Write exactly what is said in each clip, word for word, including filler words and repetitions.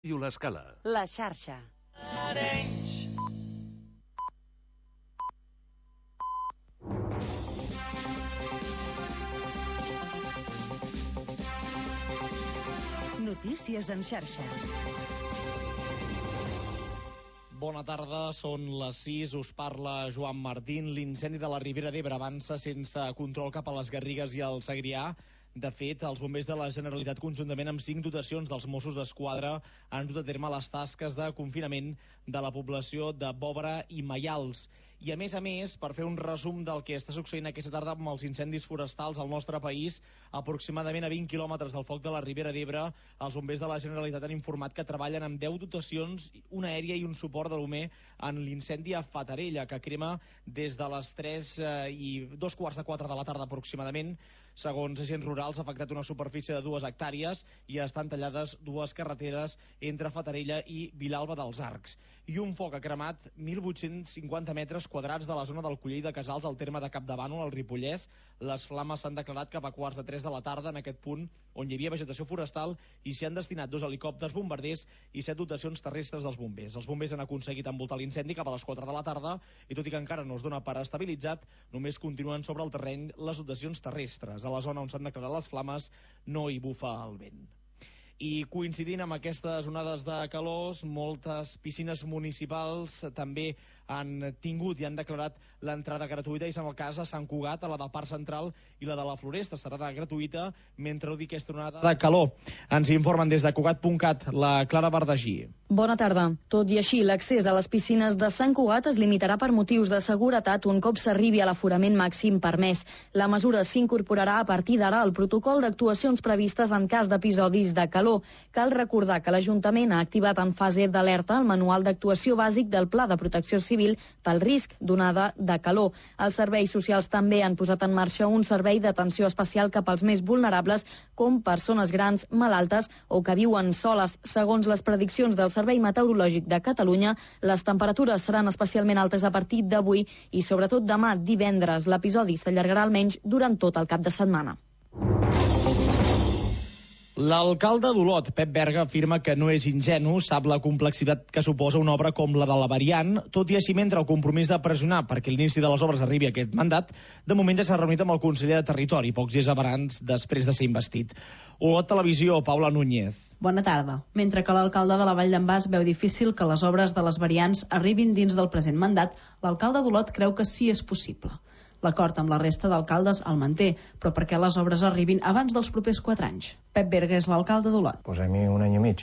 I l'Escala. La xarxa. Notícies en xarxa. Bona tarda, són les sis, us parla Joan Martín. L'incendi de la Ribera d'Ebre avança sense control cap a les Garrigues i el Segrià. De fet, els bombers de la Generalitat, conjuntament amb cinc dotacions dels Mossos d'Esquadra, han dut a terme les tasques de confinament de la població de Bòbara i Maials. I a més a més, per fer un resum del que està succeint aquesta tarda amb els incendis forestals al nostre país, aproximadament a vint quilòmetres del foc de la Ribera d'Ebre, els bombers de la Generalitat han informat que treballen amb deu dotacions, una aèria i un suport de l'U M E en l'incendi a Fatarella, que crema des de les tres i dos quarts de quatre de la tarda aproximadament. Segons agents rurals, ha afectat una superfície de dues hectàrees i estan tallades dues carreteres entre Fatarella i Vilalba dels Arcs. I un foc ha cremat mil vuit-cents cinquanta metres quadrats de la zona del Collell de Casals al terme de Capdavànol, al Ripollès. Les flames s'han declarat cap a quarts de tres de la tarda en aquest punt on hi havia vegetació forestal i s'hi han destinat dos helicòpters bombarders i set dotacions terrestres dels bombers. Els bombers han aconseguit envoltar l'incendi cap a les quatre de la tarda i tot i que encara no es dona per estabilitzat, només continuen sobre el terreny les dotacions terrestres. A la zona on s'han declarat les flames no hi bufa el vent. I coincidint amb aquestes onades de calors, moltes piscines municipals també han tingut i han declarat l'entrada gratuïta, i és el cas a Sant Cugat, a la del Parc Central i la de la Floresta serà gratuïta mentre duri aquesta onada de calor. Ens informen des de Cugat punt cat la Clara Bardagí. Bona tarda. Tot i així, l'accés a les piscines de Sant Cugat es limitarà per motius de seguretat un cop s'arribi a l'aforament màxim permès. La mesura s'incorporarà a partir d'ara al protocol d'actuacions previstes en cas d'episodis de calor. Cal recordar que l'Ajuntament ha activat en fase d'alerta el manual d'actuació bàsic del Pla de Protecció Civil pel risc d'onada de calor. Els serveis socials també han posat en marxa un servei d'atenció especial cap als més vulnerables, com persones grans, malaltes o que viuen soles. Segons les prediccions del Servei Meteorològic de Catalunya, les temperatures seran especialment altes a partir d'avui i sobretot demà divendres. L'episodi s'allargarà almenys durant tot el cap de setmana. L'alcalde d'Olot, Pep Berga, afirma que no és ingenu, sap la complexitat que suposa una obra com la de la Variant, tot i així mentre el compromís de pressionar perquè l'inici de les obres arribi a aquest mandat, de moment ja s'ha reunit amb el conseller de Territori, pocs dies abans després de ser investit. Olot Televisió, Paula Núñez. Bona tarda. Mentre que l'alcalde de la Vall d'en Bas veu difícil que les obres de les variants arribin dins del present mandat, l'alcalde d'Olot creu que sí és possible. L'acord amb la resta d'alcaldes el manté, però perquè les obres arribin abans dels propers quatre anys. Pep Berga és l'alcalde d'Olot. Posem-hi un any i mig.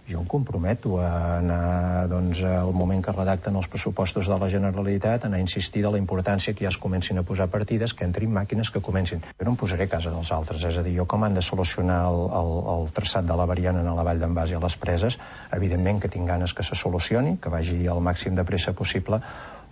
Jo em comprometo a anar, doncs, al moment que redacten els pressupostos de la Generalitat, a anar a insistir de la importància que ja es comencin a posar partides, que entrin màquines que comencin. Jo no em posaré a casa dels altres, és a dir, jo com han de solucionar el, el, el traçat de la Variant a la Vall d'en Bas i a les Preses, evidentment que tinc ganes que se solucioni, que vagi al màxim de pressa possible,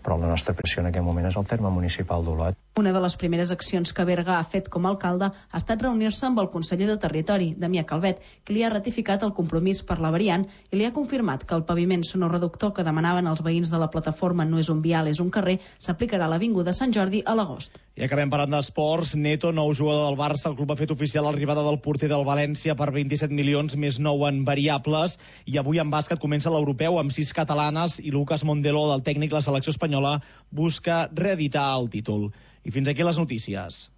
però la nostra pressió en aquest moment és el terme municipal d'Olot. Una de les primeres accions que Berga ha fet com a alcalde ha estat reunir-se amb el conseller de Territori, Damià Calvet, que li ha ratificat el compromís per la Variant i li ha confirmat que el paviment sonoreductor que demanaven els veïns de la plataforma No és un vial, és un carrer, s'aplicarà a l'Avinguda Sant Jordi a l'agost. I acabem parlant d'esports. Neto, nou jugador del Barça, el club ha fet oficial l'arribada del porter del València per vint-i-set milions més nou en variables, i avui en bàsquet comença l'europeu amb sis catalanes i Lucas Mondelo, del tècnic la selecció espanyola, busca reeditar el títol. I fins aquí les notícies.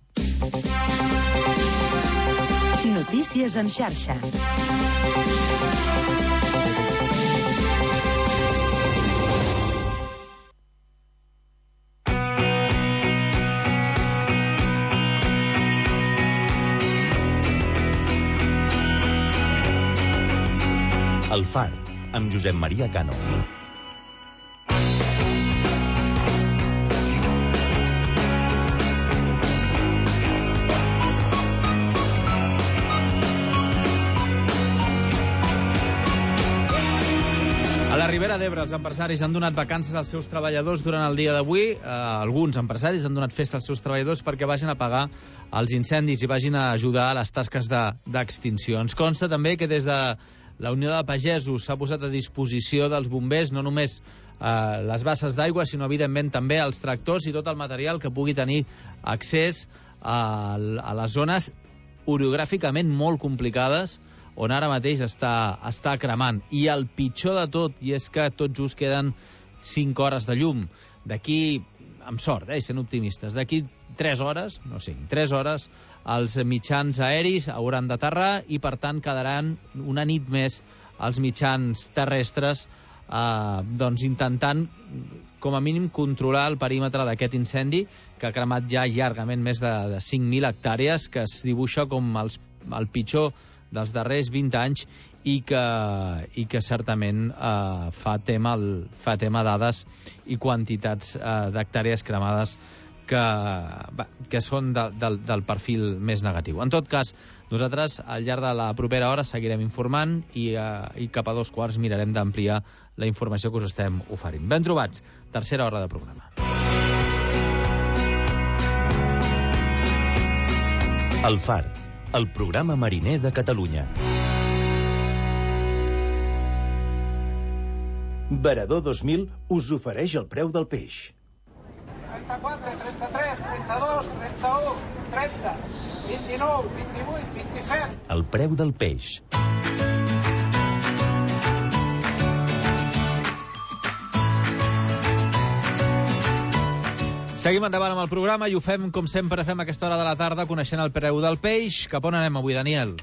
Notícies en xarxa. El Far, amb Josep Maria Cano. A la Ribera d'Ebre, els empresaris han donat vacances als seus treballadors durant el dia d'avui. Eh, alguns empresaris han donat festa als seus treballadors perquè vagin a pagar els incendis i vagin a ajudar a les tasques d'extinció. Ens consta també que des de la Unió de Pagesos s'ha posat a disposició dels bombers no només eh, les basses d'aigua, sinó evidentment també els tractors i tot el material que pugui tenir accés a, a les zones orogràficament molt complicades on ara mateix està, està cremant. I el pitjor de tot, i és que tot just queden cinc hores de llum. D'aquí, amb sort, eh, sent optimistes, d'aquí tres hores, no sé, tres hores, els mitjans aeris hauran d'aterrar i, per tant, quedaran una nit més els mitjans terrestres eh, doncs intentant, com a mínim, controlar el perímetre d'aquest incendi que ha cremat ja llargament més de, de cinc mil hectàrees, que es dibuixa com els, el pitjor dels darrers vint anys i que, i que certament eh, fa, tema el, fa tema dades i quantitats eh, d'hectàrees cremades que, va, que són de, del, del perfil més negatiu. En tot cas, nosaltres al llarg de la propera hora seguirem informant i, eh, i cap a dos quarts mirarem d'ampliar la informació que us estem oferint. Ben trobats, tercera hora de programa. El Far, el programa mariner de Catalunya. Varador dos mil us ofereix el preu del peix. trenta-quatre, trenta-tres, trenta-dos, trenta-u, trenta, vint-i-nou, vint-i-vuit, vint-i-set. El preu del peix. Seguim endavant amb el programa i ho fem, com sempre fem a aquesta hora de la tarda, coneixent el preu del peix. Cap on anem avui, Daniel?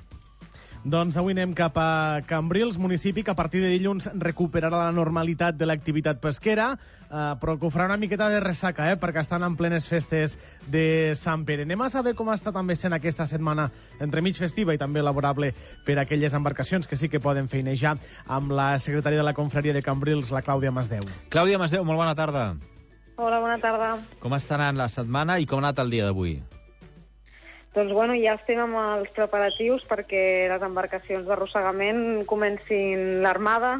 Doncs avui anem cap a Cambrils, municipi que a partir de dilluns recuperarà la normalitat de l'activitat pesquera, eh, però que ho farà una miqueta de ressaca, eh, perquè estan en plenes festes de Sant Pere. Anem a saber com està també sent aquesta setmana entremig festiva i també laborable per a aquelles embarcacions que sí que poden feinejar, amb la secretària de la confraria de Cambrils, la Clàudia Masdeu. Clàudia Masdeu, molt bona tarda. Hola, bona tarda. Com està anant la setmana i com ha anat el dia d'avui? Doncs bueno, ja estem amb els preparatius perquè les embarcacions d'arrossegament comencin l'armada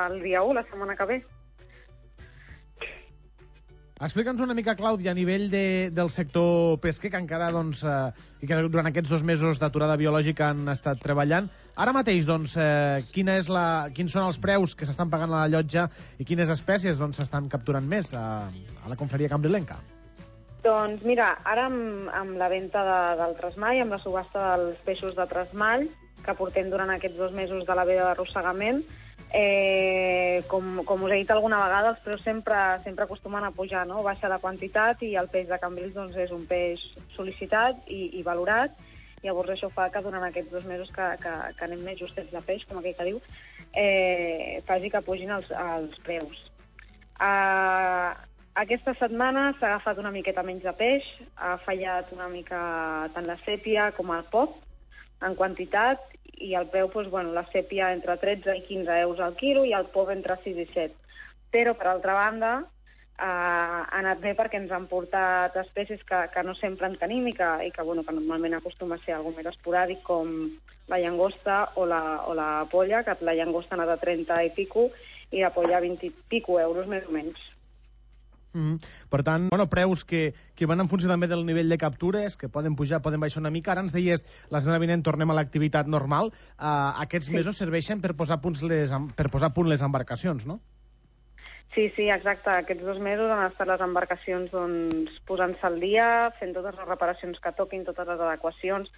el dia u, la setmana que ve. Explica'ns una mica, Clàudia, a nivell de, del sector pesquer, que encara, doncs, eh, i que durant aquests dos mesos d'aturada biològica han estat treballant. Ara mateix, doncs, eh, quina és la, quins són els preus que s'estan pagant a la llotja i quines espècies doncs, s'estan capturant més a, a la confraria cambrilenca? Doncs mira, ara amb, amb la venda de, del tresmall, amb la subhasta dels peixos de tresmall, que portem durant aquests dos mesos de la veda d'arrossegament, eh, com, com us he dit alguna vegada, els preus sempre, sempre acostumen a pujar, no? Baixa la quantitat i el peix de Cambrils doncs, és un peix sol·licitat i, i valorat. Llavors això fa que durant aquests dos mesos que, que, que anem més justets de peix, com aquell que diu, eh, faci que pugin els, els preus. Uh, aquesta setmana s'ha agafat una miqueta menys de peix, ha fallat una mica tant la sèpia com el pop en quantitat, i el preu, doncs, bueno, la sèpia entre tretze i quinze euros al quilo i el pop entre sis i set. Però, per altra banda, eh, ha anat bé perquè ens han portat espècies que, que no sempre en tenim i que, i que, bueno, que normalment acostuma a ser algo més esporàdic, com la llagosta o la, o la polla, que la llagosta ha anat a trenta i pico i la polla a vint i pico euros, més o menys. Mm. Per tant, bueno, preus que, que van en funció també del nivell de captures, que poden pujar, poden baixar una mica. Ara ens deies, la setmana vinent tornem a l'activitat normal. Uh, aquests sí. mesos serveixen per posar, punts les, per posar a punt les embarcacions, no? Sí, sí, exacte. Aquests dos mesos han estat les embarcacions doncs, posant-se al dia, fent totes les reparacions que toquin, totes les adequacions.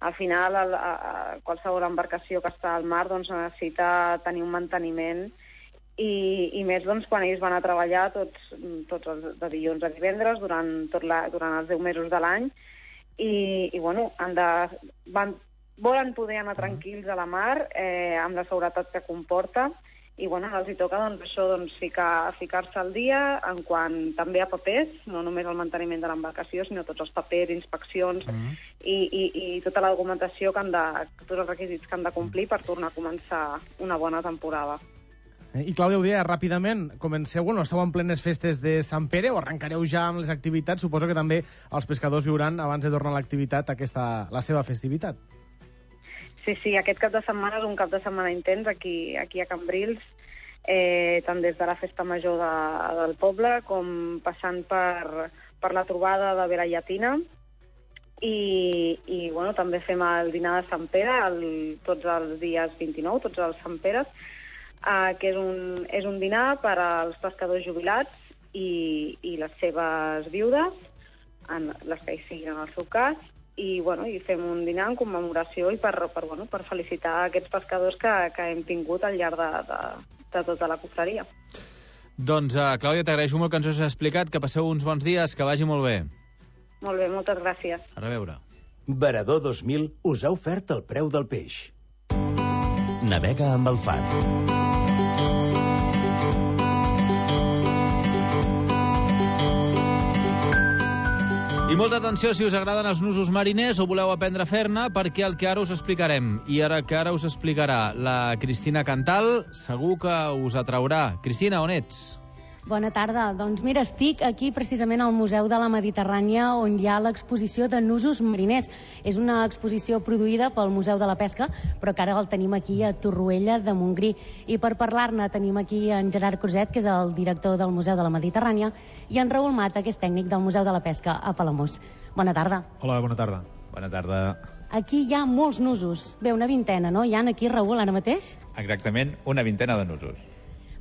Al final, a, a, a qualsevol embarcació que està al mar doncs, necessita tenir un manteniment. I, i més doncs, quan ells van a treballar tots, tots els de dilluns a divendres durant, tot la, durant els deu mesos de l'any i, i bueno, han de, van, volen poder anar tranquils a la mar eh, amb la seguretat que comporta i bueno, els hi toca doncs, això, doncs, ficar, ficar-se al dia en quant també a papers, no només el manteniment de l'embarcació, sinó tots els papers, inspeccions mm. i, i, i tota la documentació que han de, tots els requisits que han de complir per tornar a començar una bona temporada. I Clàudia, ho deia ràpidament, comenceu, bueno, esteu en plenes festes de Sant Pere o arrencareu ja amb les activitats? Suposo que també els pescadors viuran, abans de tornar a l'activitat, aquesta, la seva festivitat. Sí, sí, aquest cap de setmana és un cap de setmana intens aquí, aquí a Cambrils, eh, tant des de la festa major de, del poble com passant per, per la trobada de Vera Llatina i, i bueno, també fem el dinar de Sant Pere el, tots els dies vint-i-nou, tots els Sant Peres, Uh, que és un, és un dinar per als pescadors jubilats i, i les seves viudes, en les que hi siguin en el seu cas, i, bueno, i fem un dinar en commemoració i per, per, bueno, per felicitar aquests pescadors que, que hem tingut al llarg de, de, de tota la cofreria. Doncs, uh, Clàudia, t'agraeixo molt que ens ho has explicat, que passeu uns bons dies, que vagi molt bé. Molt bé, moltes gràcies. A reveure. Varador dos mil us ha ofert el preu del peix. Navega amb el far. I molta atenció si us agraden els nusos mariners o voleu aprendre a fer-ne, perquè el que ara us explicarem, i ara que ara us explicarà la Cristina Cantal, segur que us atraurà. Cristina, on ets? Bona tarda. Doncs mira, estic aquí precisament al Museu de la Mediterrània, on hi ha l'exposició de nusos mariners. És una exposició produïda pel Museu de la Pesca, però que ara el tenim aquí a Torroella de Montgrí. I per parlar-ne tenim aquí en Gerard Cruzet, que és el director del Museu de la Mediterrània, i en Raül Mata, que és tècnic del Museu de la Pesca a Palamós. Bona tarda. Hola, bona tarda. Bona tarda. Aquí hi ha molts nusos. Bé, una vintena, no? Hi ha aquí, Raül, ara mateix? Exactament, una vintena de nusos.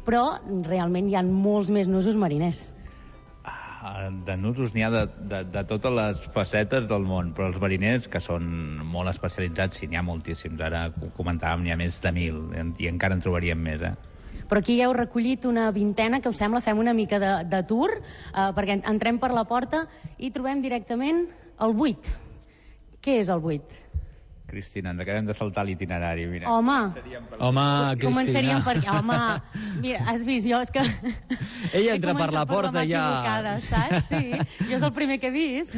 Però realment hi ha molts més nusos mariners. De nusos n'hi ha de, de, de totes les facetes del món, però els mariners, que són molt especialitzats, sí, n'hi ha moltíssims. Ara ho comentàvem, n'hi ha més de mil, i encara en trobaríem més, eh? Però aquí heu recollit una vintena, que us sembla, fem una mica de, de tour, eh, perquè entrem per la porta i trobem directament el buit. Què és el buit? Cristina, ens acabem de saltar l'itinerari, mira. Home, Home, Cristina. Començaríem per aquí. Home, mira, has vist, jo és que... Ella entra per la porta per ja... Saps? Sí, jo és el primer que he vist.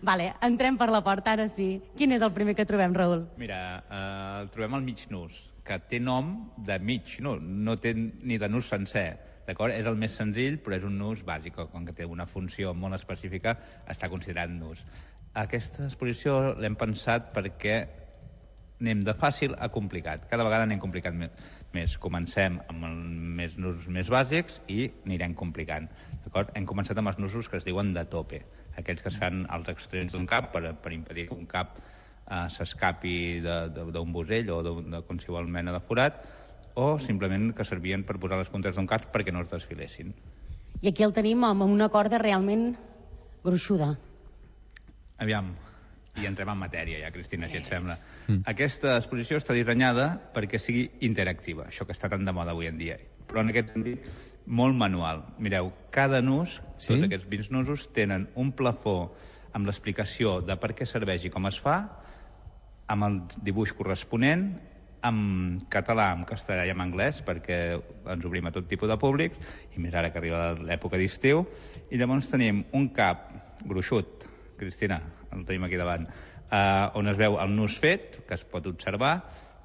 Vale, entrem per la porta, ara sí. Quin és el primer que trobem, Raül? Mira, eh, trobem el mig nus, que té nom de mig, no, no té ni de nus sencer. D'acord? És el més senzill, però és un nus bàsic, com que té una funció molt específica, està considerat nus. Aquesta exposició l'hem pensat perquè anem de fàcil a complicat. Cada vegada anem complicat més. Comencem amb els més nusos més bàsics i anirem complicant. D'acord? Hem començat amb els nusos que es diuen de tope, aquells que es fan als extrems d'un cap per, per impedir que un cap eh, s'escapi d'un busell o de qualsevol mena de forat, o simplement que servien per posar les puntes d'un cap perquè no es desfilessin. I aquí el tenim amb una corda realment gruixuda. Aviam, i entrem en matèria ja, Cristina, si et sembla. Mm. Aquesta exposició està dissenyada perquè sigui interactiva, això que està tan de moda avui en dia, però en aquest sentit molt manual. Mireu, cada nus, sí? Tots aquests vint nusos, tenen un plafó amb l'explicació de per què serveix i com es fa, amb el dibuix corresponent, en català, en castellà i en anglès, perquè ens obrim a tot tipus de públics, i més ara que arriba l'època d'estiu, i llavors tenim un cap gruixut, Cristina, el tenim aquí davant, eh, on es veu el nus fet, que es pot observar,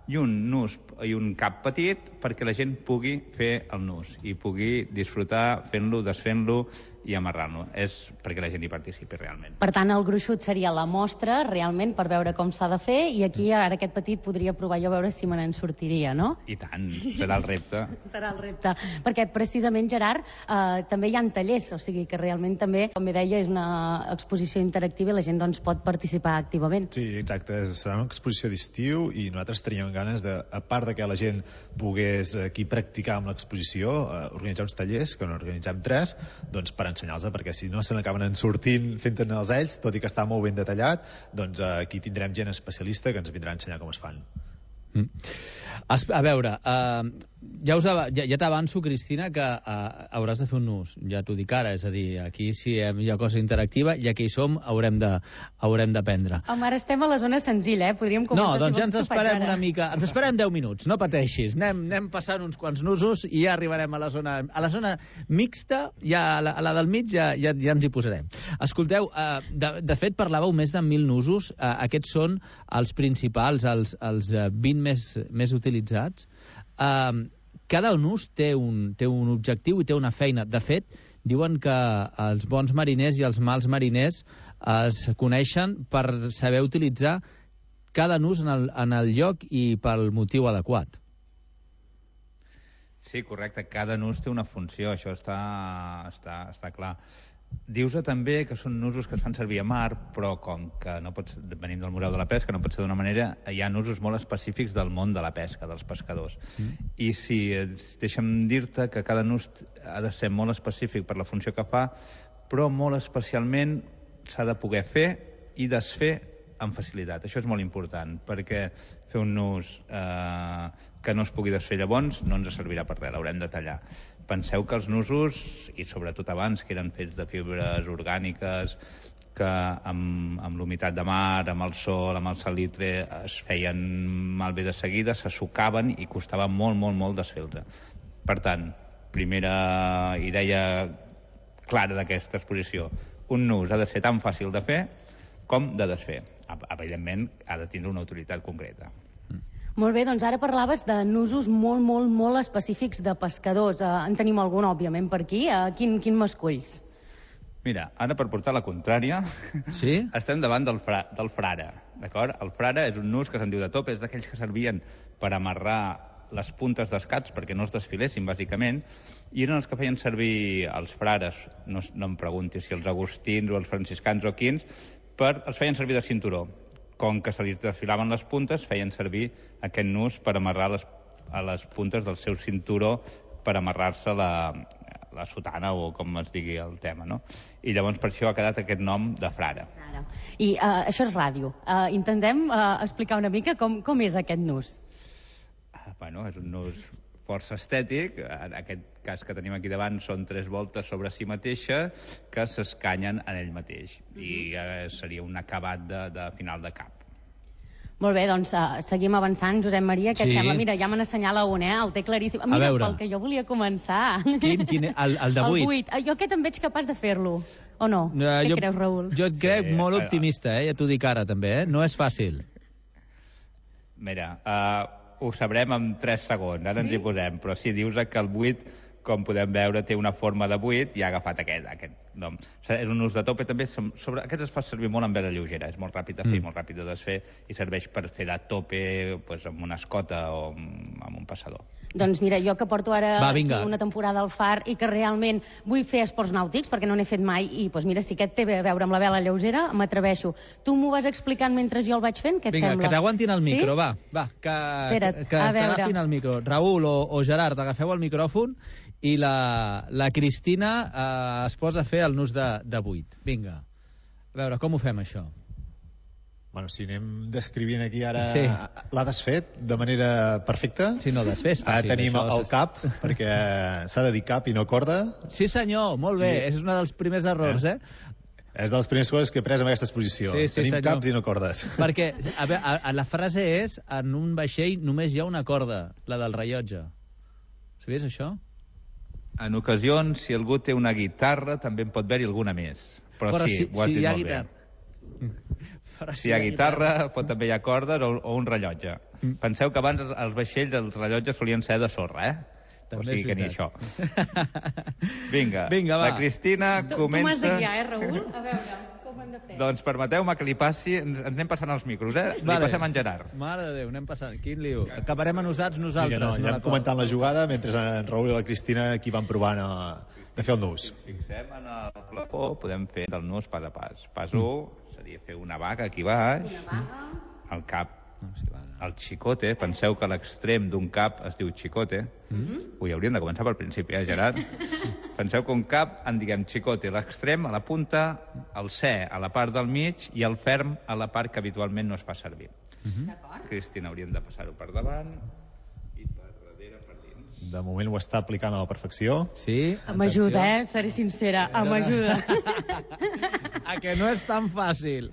i un nus i un cap petit perquè la gent pugui fer el nus i pugui disfrutar fent-lo, desfent-lo i amarrant-lo. És perquè la gent hi participi realment. Per tant, el gruixut seria la mostra, realment, per veure com s'ha de fer, i aquí ara aquest petit podria provar jo a veure si me n'en sortiria, no? I tant, serà el repte. Serà el repte. Perquè precisament, Gerard, eh, també hi ha tallers, o sigui que realment també, com bé deia, és una exposició interactiva i la gent doncs, pot participar activament. Sí, exacte. Serà una exposició d'estiu i nosaltres teníem ganes de, a part de que la gent pogués aquí practicar amb l'exposició, eh, organitzar uns tallers, que n'organitzem tres, doncs per ensenyar-los, perquè si no se n'acaben en sortint fent-ne els ells, tot i que està molt ben detallat, doncs eh, aquí tindrem gent especialista que ens vindrà a ensenyar com es fan. Mm. A veure, uh, ja, us, ja, ja t'avanço, Cristina, que uh, hauràs de fer un nus, ja t'ho dic ara, és a dir, aquí si hi ha cosa interactiva, ja que hi som, haurem de, haurem d'aprendre. Home, ara estem a la zona senzilla, eh? Podríem començar, no, doncs si ja ens esperem una mica, ens esperem deu minuts, no pateixis, anem, anem passant uns quants nusos i ja arribarem a la zona, a la zona mixta, ja, a, la, a la del mig ja, ja, ja ens hi posarem. Escolteu, uh, de, de fet parlàveu més de mil nusos, uh, aquests són els principals, els, els vint més, més utilitzats. Uh, cada nus té un, té un objectiu i té una feina. De fet, diuen que els bons mariners i els mals mariners es coneixen per saber utilitzar cada nus en el, en el lloc i pel motiu adequat. Sí, correcte. Cada nus té una funció, això està, està, està clar. Dius-te també que són nusos que es fan servir a mar, però com que no pots, venim del Museu de la Pesca, no pot ser d'una manera, hi ha nusos molt específics del món de la pesca, dels pescadors. Mm. I si deixa'm dir-te que cada nus ha de ser molt específic per la funció que fa, però molt especialment s'ha de poder fer i desfer amb facilitat. Això és molt important, perquè fer un nus eh, que no es pugui desfer llavors no ens servirà per res, l'haurem de tallar. Penseu que els nusos, i sobretot abans, que eren fets de fibres orgàniques, que amb, amb l'humitat de mar, amb el sol, amb el salitre, es feien malbé de seguida, se sucaven i costava molt, molt, molt desfer-se. Per tant, primera idea clara d'aquesta exposició, un nus ha de ser tan fàcil de fer com de desfer. Evidentment, ha de tindre una utilitat concreta. Molt bé, doncs ara parlaves de nusos molt, molt, molt específics de pescadors. Uh, en tenim algun, òbviament, per aquí. Uh, quin, quin m'esculls? Mira, ara per portar la contrària, sí? estem davant del, fra, del frare, d'acord? El frare és un nus que se'n diu de top, és d'aquells que servien per amarrar les puntes dels cats perquè no es desfilessin, bàsicament, i eren els que feien servir els frares, no, no em pregunti si els agustins o els franciscans o quins, per, els feien servir de cinturó. Com que se li desfilaven les puntes, feien servir aquest nus per amarrar les, a les puntes del seu cinturó per amarrar-se la, la sotana o com es digui el tema, no? I llavors per això ha quedat aquest nom de frare. I uh, això és ràdio. Uh, intentem uh, explicar una mica com, com és aquest nus. Uh, bueno, és un nus força estètic. En aquest cas que tenim aquí davant són tres voltes sobre si mateixa que s'escanyen en ell mateix. I uh, seria un acabat de, de final de cap. Molt bé, doncs uh, seguim avançant. Josep Maria, què sí. et sembla? Mira, ja me n'assenyala un, eh? El té claríssim. Mira, pel que jo volia començar. Quin? quin el, el de vuit? El vuit. Jo aquest em veig capaç de fer-lo. O no? Uh, Què jo, creus, Raül? Jo et crec sí, molt optimista, eh? Ja t'ho dic ara, també, eh? No és fàcil. Mira, uh, ho sabrem en tres segons, ara sí? ens hi posem, però si dius que el vuit, com podem veure, té una forma de vuit i ha agafat aquest, aquest nom. És un nus de tope, també, sobre, aquest es fa servir molt en vela lleugera, és molt ràpid de fer, mm. molt ràpid de desfer, i serveix per fer de tope pues, amb una escota o amb, amb un passador. Doncs mira, jo que porto ara Va, aquí una temporada al far i que realment vull fer esports nàutics, perquè no n'he fet mai, i doncs mira, si aquest té a veure amb la vela lleugera, m'atreveixo. Tu m'ho vas explicant mentre jo el vaig fent? Què et Vinga, sembla? que t'aguantin el micro, sí? va. va que Espera't, que, que t'agafin el micro. Raül o, o Gerard, agafeu el micròfon i la, la Cristina eh, es posa a fer el nus de, de vuit. Vinga. A veure, com ho fem, això? Bueno, si anem descrivint aquí ara... Sí. L'ha desfet de manera perfecta. Sí, no, desfer és fàcil. Ara tenim això, el cap, perquè s'ha de dir cap i no corda. Sí, senyor, molt bé. I... És un dels primers errors, eh? És de les primeres coses que he pres en aquesta exposició. Sí, sí, tenim senyor. caps i no cordes. Perquè a veure, a, a la frase és en un vaixell només hi ha una corda, la del rellotge. Sabies això? En ocasions, si algú té una guitarra, també en pot haver-hi alguna més. Però, Però sí, si, ho has si dit hi ha molt guitarra... bé. Però si, si hi ha guitarra, guitarra, pot també hi ha cordes o, o un rellotge. Mm. Penseu que abans els vaixells, els rellotges solien ser de sorra, eh? També o sigui que ni això. Vinga, Vinga va. La Cristina tu, comença... Tu m'has de guiar, eh, Raül? A veure, com hem de fer? Doncs permeteu-me que li passi... Ens, ens anem passant els micros, eh? Li vale. passem en Gerard. Mare de Déu, anem passant. Quin liu. Acabarem enusats nosaltres. Vinga, no, no anem comentant la jugada mentre en Raül i la Cristina aquí van provant a, de fer el nus. Si fixem en el plafó, podem fer el nus pas a pas. Pas u seria fer una vaga aquí baix. Una vaga. El cap. No, si va, no. El xicote, penseu que l'extrem d'un cap es diu xicote. Mm-hmm. Ui, hauríem de començar pel principi, eh, Gerard? Penseu que un cap en diguem xicote, l'extrem a la punta, el C a la part del mig i el ferm a la part que habitualment no es fa servir. Mm-hmm. Cristina, hauríem de passar-ho per davant i per darrere, per dins. De moment ho està aplicant a la perfecció. Sí, m'ajuda, eh? Seré sincera, m'ajuda. A que no és tan fàcil.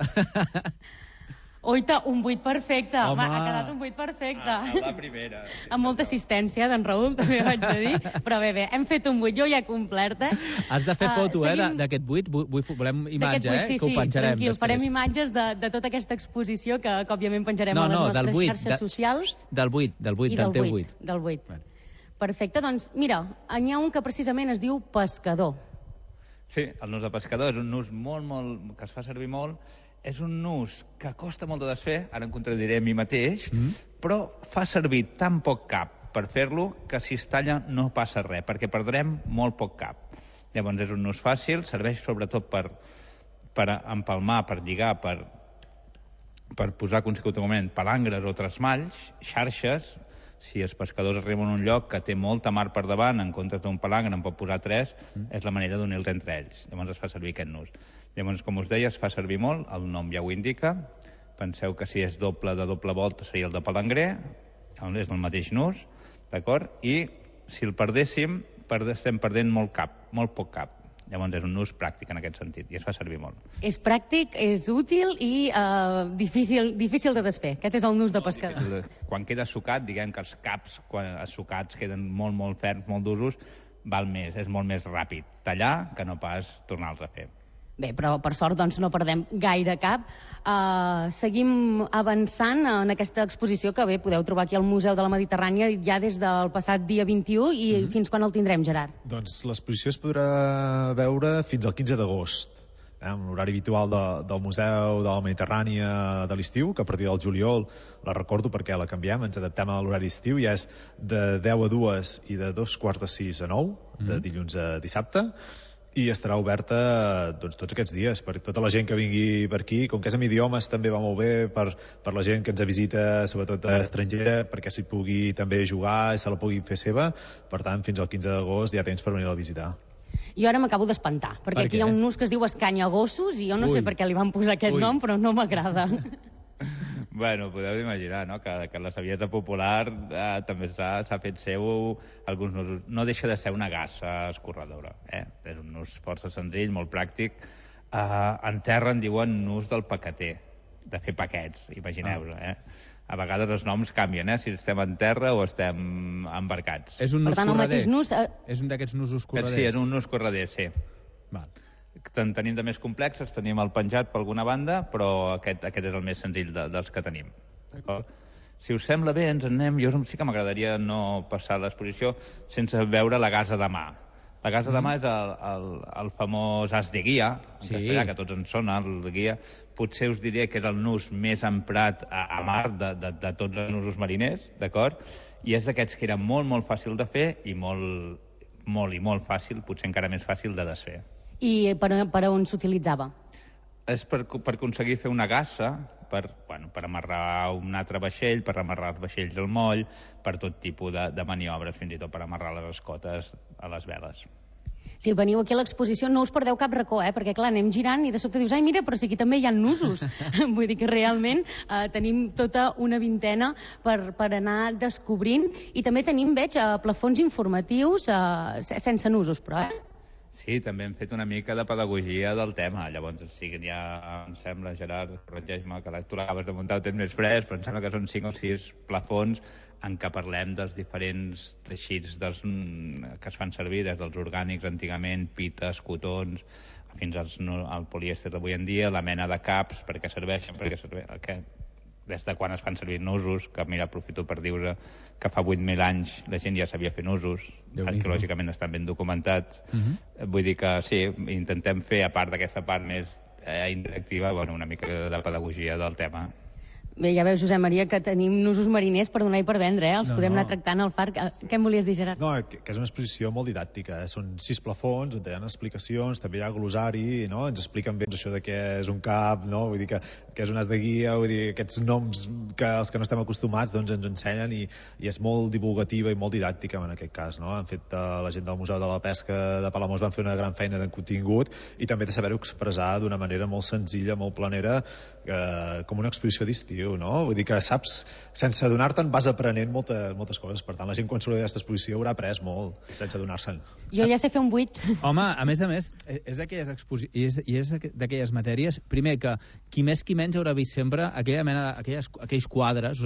Oita, un vuit perfecte. Home. Ha quedat un vuit perfecte. A, a la primera. Amb molta assistència d'en Raül, també vaig a dir. Però bé, bé, hem fet un vuit, jo ja he complert, eh? Has de fer foto, uh, eh, d'aquest vuit. Volem imatge, vuit, sí, eh? Que ho penjarem tranquil, després. Farem imatges de, de tota aquesta exposició que, que òbviament penjarem no, a les no, nostres vuit, xarxes de, socials. Del vuit, del vuit, del teu vuit. Del vuit. Perfecte, doncs mira, n'hi ha un que precisament es diu pescador. Sí, el nus de pescador és un nus molt, molt, que es fa servir molt. És un nus que costa molt de desfer, ara en contradiré a mi mateix, mm. però fa servir tan poc cap per fer-lo que si es talla no passa res, perquè perdrem molt poc cap. Llavors és un nus fàcil, serveix sobretot per, per empalmar, per lligar, per, per posar consecutivament palangres o trasmalls, xarxes. Si els pescadors arriben a un lloc que té molta mar per davant, en comptes d'un palangre en pot posar tres, mm. és la manera d'unir-los entre ells. Llavors es fa servir aquest nus. Llavors, com us deia, es fa servir molt, el nom ja ho indica. Penseu que si és doble de doble volta seria el de palangrer, és el mateix nus, d'acord? I si el perdéssim, estem perdent molt cap, molt poc cap. Llavors és un nus pràctic en aquest sentit, i es fa servir molt. És pràctic, és útil i uh, difícil, difícil de desfer. Aquest és el nus de pescador. De... Quan queda sucat, diguem que els caps quan sucats queden molt, molt ferms, molt d'usos, val més, és molt més ràpid tallar que no pas tornar-los a fer. Bé, però per sort doncs, no perdem gaire cap. Uh, seguim avançant en aquesta exposició que bé podeu trobar aquí al Museu de la Mediterrània ja des del passat dia vint-i-u i mm-hmm. fins quan el tindrem, Gerard? Doncs l'exposició es podrà veure fins al quinze d'agost, eh, amb l'horari habitual de, del Museu de la Mediterrània de l'estiu, que a partir del juliol, la recordo perquè la canviem, ens adaptem a l'horari estiu, ja és de deu a dues i de dos quarts de sis a nou, mm-hmm. de dilluns a dissabte, i estarà oberta doncs, tots aquests dies per tota la gent que vingui per aquí. Com que és en idiomes també va molt bé per, per la gent que ens visita, sobretot estrangera, perquè s'hi pugui també jugar i se la pugui fer seva. Per tant, fins al quinze d'agost ja tens per venir a visitar. Jo ara m'acabo d'espantar, perquè per aquí hi ha un nus que es diu escanyagossos i jo no Ui. sé per què li van posar aquest Ui. nom, però no m'agrada. Bueno, podeu imaginar, no?, que, que la saviesa popular eh, també s'ha fet seu alguns nusos. No deixa de ser una gassa escorredora, eh? És un nus força senzill, molt pràctic. Eh, en terra en diuen nus del paqueter, de fer paquets, imagineu-vos, eh? A vegades els noms canvien, eh?, si estem en terra o estem embarcats. És un nus per tant, correder. El nus, eh... És un d'aquests nusos correders. Sí, és un nus correder, sí. Val. En tenim de més complexes, tenim el penjat per alguna banda, però aquest, aquest és el més senzill de, dels que tenim. Si us sembla bé, ens en anem. Jo sí que m'agradaria no passar l'exposició sense veure la gasa de mà. La gasa mm. de mà és el, el, el famós as de guia, en sí. castellà, que tots en sona, el de guia. Potser us diria que és el nus més emprat a, a mar de, de, de tots els nusos mariners, d'acord? I és d'aquests que era molt, molt fàcil de fer i molt, molt i molt fàcil, potser encara més fàcil de desfer. I per, per on s'utilitzava? És per, per aconseguir fer una gassa, per, bueno, per amarrar un altre vaixell, per amarrar els vaixells al moll, per tot tipus de, de maniobres, fins i tot per amarrar les escotes a les veles. Si veniu aquí a l'exposició no us perdeu cap racó, eh? Perquè clar, anem girant i de sobte dius, ai mira, però si aquí també hi ha nusos. Vull dir que realment eh, tenim tota una vintena per, per anar descobrint i també tenim, veig, eh, plafons informatius eh, sense nusos, però, eh? Sí, també hem fet una mica de pedagogia del tema. Llavors, sí que ja em sembla, Gerard, corregeix-me, que tu l'acabes de muntar, ho tens més fresc, però em sembla que són cinc o sis plafons en què parlem dels diferents teixits dels, que es fan servir, des dels orgànics antigament, pites, cotons, fins als, al polièster d'avui en dia, la mena de caps, per què serveixen, per què serveixen, que, des de quan es fan servir nusos, que mira, aprofito per dir que fa vuit mil anys la gent ja sabia fer nusos, arqueològicament estan ben documentats. Uh-huh. Vull dir que sí, intentem fer, a part d'aquesta part més eh, interactiva, bueno, una mica de pedagogia del tema. Bé, ja veus, Josep Maria, que tenim nusos mariners per donar i per vendre, eh? Els no, podem no. anar tractant al far. Què em volies dir, Gerard? No, que, que és una exposició molt didàctica, eh? Són sis plafons on hi ha explicacions, també hi ha glosari, no? Ens expliquen bé això de què és un cap, no? Vull dir que, que és un as de guia, vull dir, aquests noms que els que no estem acostumats doncs ens ensenyen i, i és molt divulgativa i molt didàctica en aquest cas, no? Han fet uh, la gent del Museu de la Pesca de Palamós van fer una gran feina de contingut i també de saber-ho expressar d'una manera molt senzilla, molt planera, eh, com una exposició d'estiu, no? Vull dir que saps, sense adonar-te'n vas aprenent moltes, moltes coses. Per tant, la gent quan surt d'aquesta exposició haurà après molt, sense adonar-se'n. Jo ja sé fer un buit. Home, a més a més, és d'aquelles exposi... i és, i és d'aquelles matèries, primer que qui més qui menys haurà vist sempre aquella mena, aquelles, aquells quadres,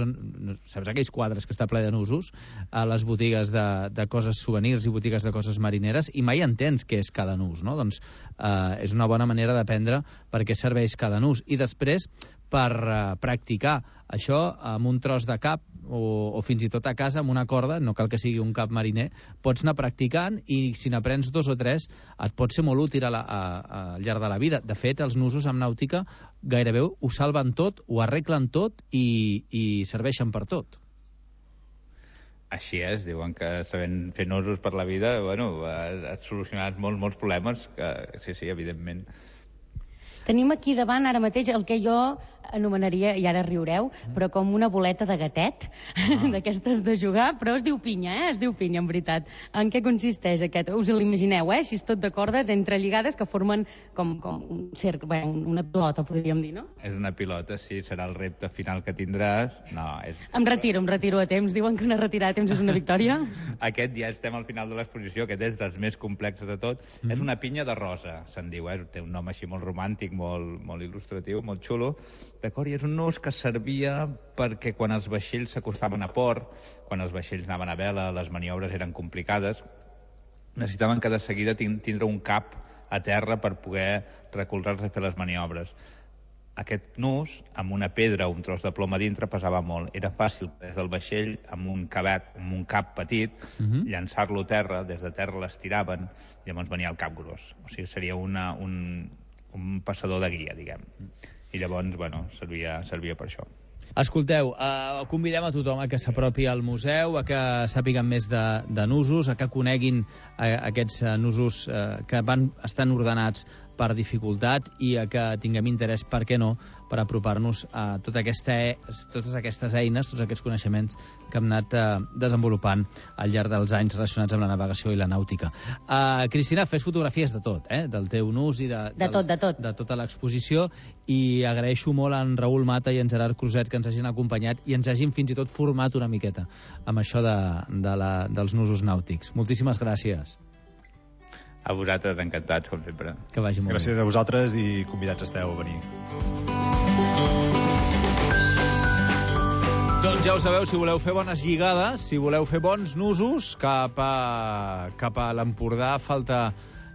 saps aquells quadres que està ple de nusos a les botigues de, de coses souvenirs i botigues de coses marineres i mai entens què és cada nus, no? Doncs eh, és una bona manera d'aprendre per què serveix cada nus. I després, per uh, practicar això amb un tros de cap o, o fins i tot a casa amb una corda, no cal que sigui un cap mariner, pots anar practicant i si n'aprens dos o tres et pot ser molt útil a la, a, a, al llarg de la vida. De fet, els nusos amb nàutica gairebé ho salven tot, ho arreglen tot i, i serveixen per tot. Així és, diuen que sabent fer nusos per la vida, bueno, has solucionat molts, molts problemes, que sí, sí, evidentment. Tenim aquí davant ara mateix el que jo anomenaria, i ara riureu, però com una boleta de gatet, ah. d'aquestes de jugar, però es diu pinya, eh? Es diu pinya, en veritat. En què consisteix aquest? Us l'imagineu, eh? Així és tot de cordes entrelligades que formen com, com un cercle, bé, una pilota, podríem dir, no? És una pilota, sí, serà el repte final que tindràs. No, és... Em retiro, em retiro a temps. Diuen que una retirada a temps és una victòria. Aquest ja estem al final de l'exposició, aquest és dels més complexos de tot. Mm-hmm. És una pinya de rosa, se'n diu, eh? Té un nom així molt romàntic, molt, molt il·lustratiu, molt xulo. D'acord? I és un nus que servia perquè quan els vaixells s'acostaven a port, quan els vaixells anaven a vela, les maniobres eren complicades, necessitaven que de seguida tindre un cap a terra per poder recolzar-se i fer les maniobres. Aquest nus, amb una pedra o un tros de plom a dintre, pesava molt. Era fàcil, des del vaixell, amb un cabet, amb un cap petit, uh-huh. llançar-lo a terra, des de terra l'estiraven, i llavors venia el cap gros. O sigui, seria una, un, un passador de guia, diguem. I llavors, bueno, servia, servia per això. Escolteu, eh, convidem a tothom a que s'apropi al museu, a que sàpiguen més de, de nusos, a que coneguin eh, aquests eh, nusos eh, que van estan ordenats per dificultat i a que tinguem interès, per què no, per apropar-nos a tota aquesta, totes aquestes eines, tots aquests coneixements que hem anat eh, desenvolupant al llarg dels anys relacionats amb la navegació i la nàutica. Uh, Cristina, fes fotografies de tot, eh? Del teu nus i de, de, tot, de, tot. de tota l'exposició, i agraeixo molt a en Raül Mata i en Gerard Cruzet que ens hagin acompanyat i ens hagin fins i tot format una miqueta amb això de, de la, dels nusos nàutics. Moltíssimes gràcies. A vosaltres, encantats, com sempre. Que vagi molt Gràcies bé. a vosaltres i convidats esteu a venir. Doncs ja ho sabeu, si voleu fer bones lligades, si voleu fer bons nusos, cap a, cap a l'Empordà falta,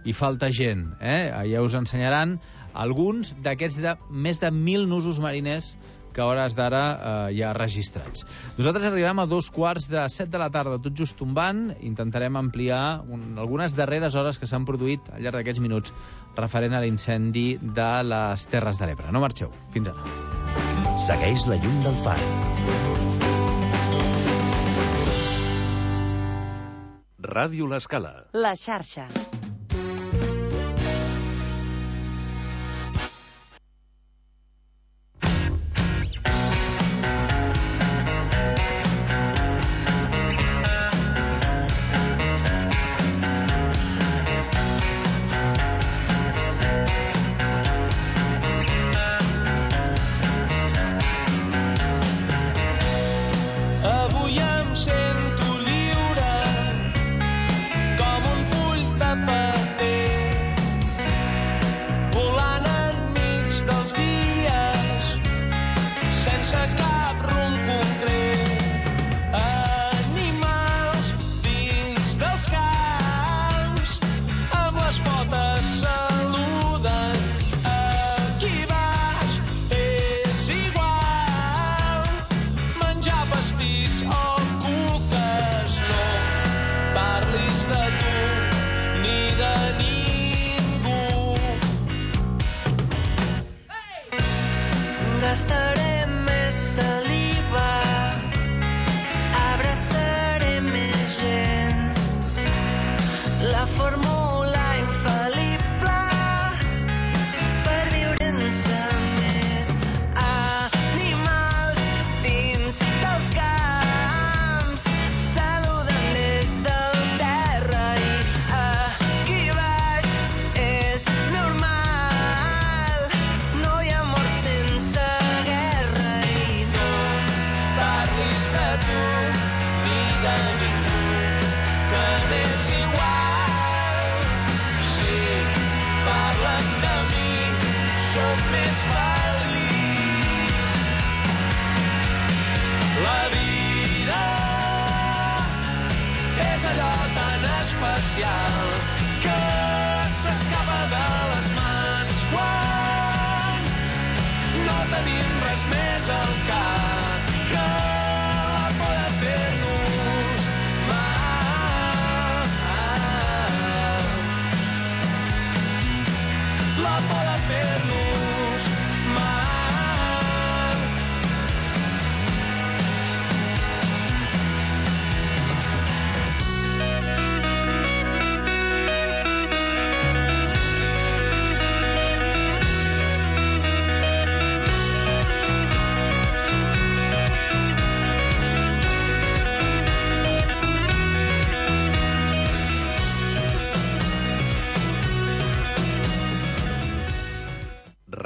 hi falta gent. Eh? Ja us ensenyaran alguns d'aquests de més de mil nusos mariners que a hores d'ara eh, ja registrats. Nosaltres arribem a dos quarts de set de la tarda, tot just tombant. Intentarem ampliar un, algunes darreres hores que s'han produït al llarg d'aquests minuts referent a l'incendi de les Terres de l'Ebre. No marxeu. Fins ara. Segueix la llum del far. Ràdio L'Escala. La xarxa.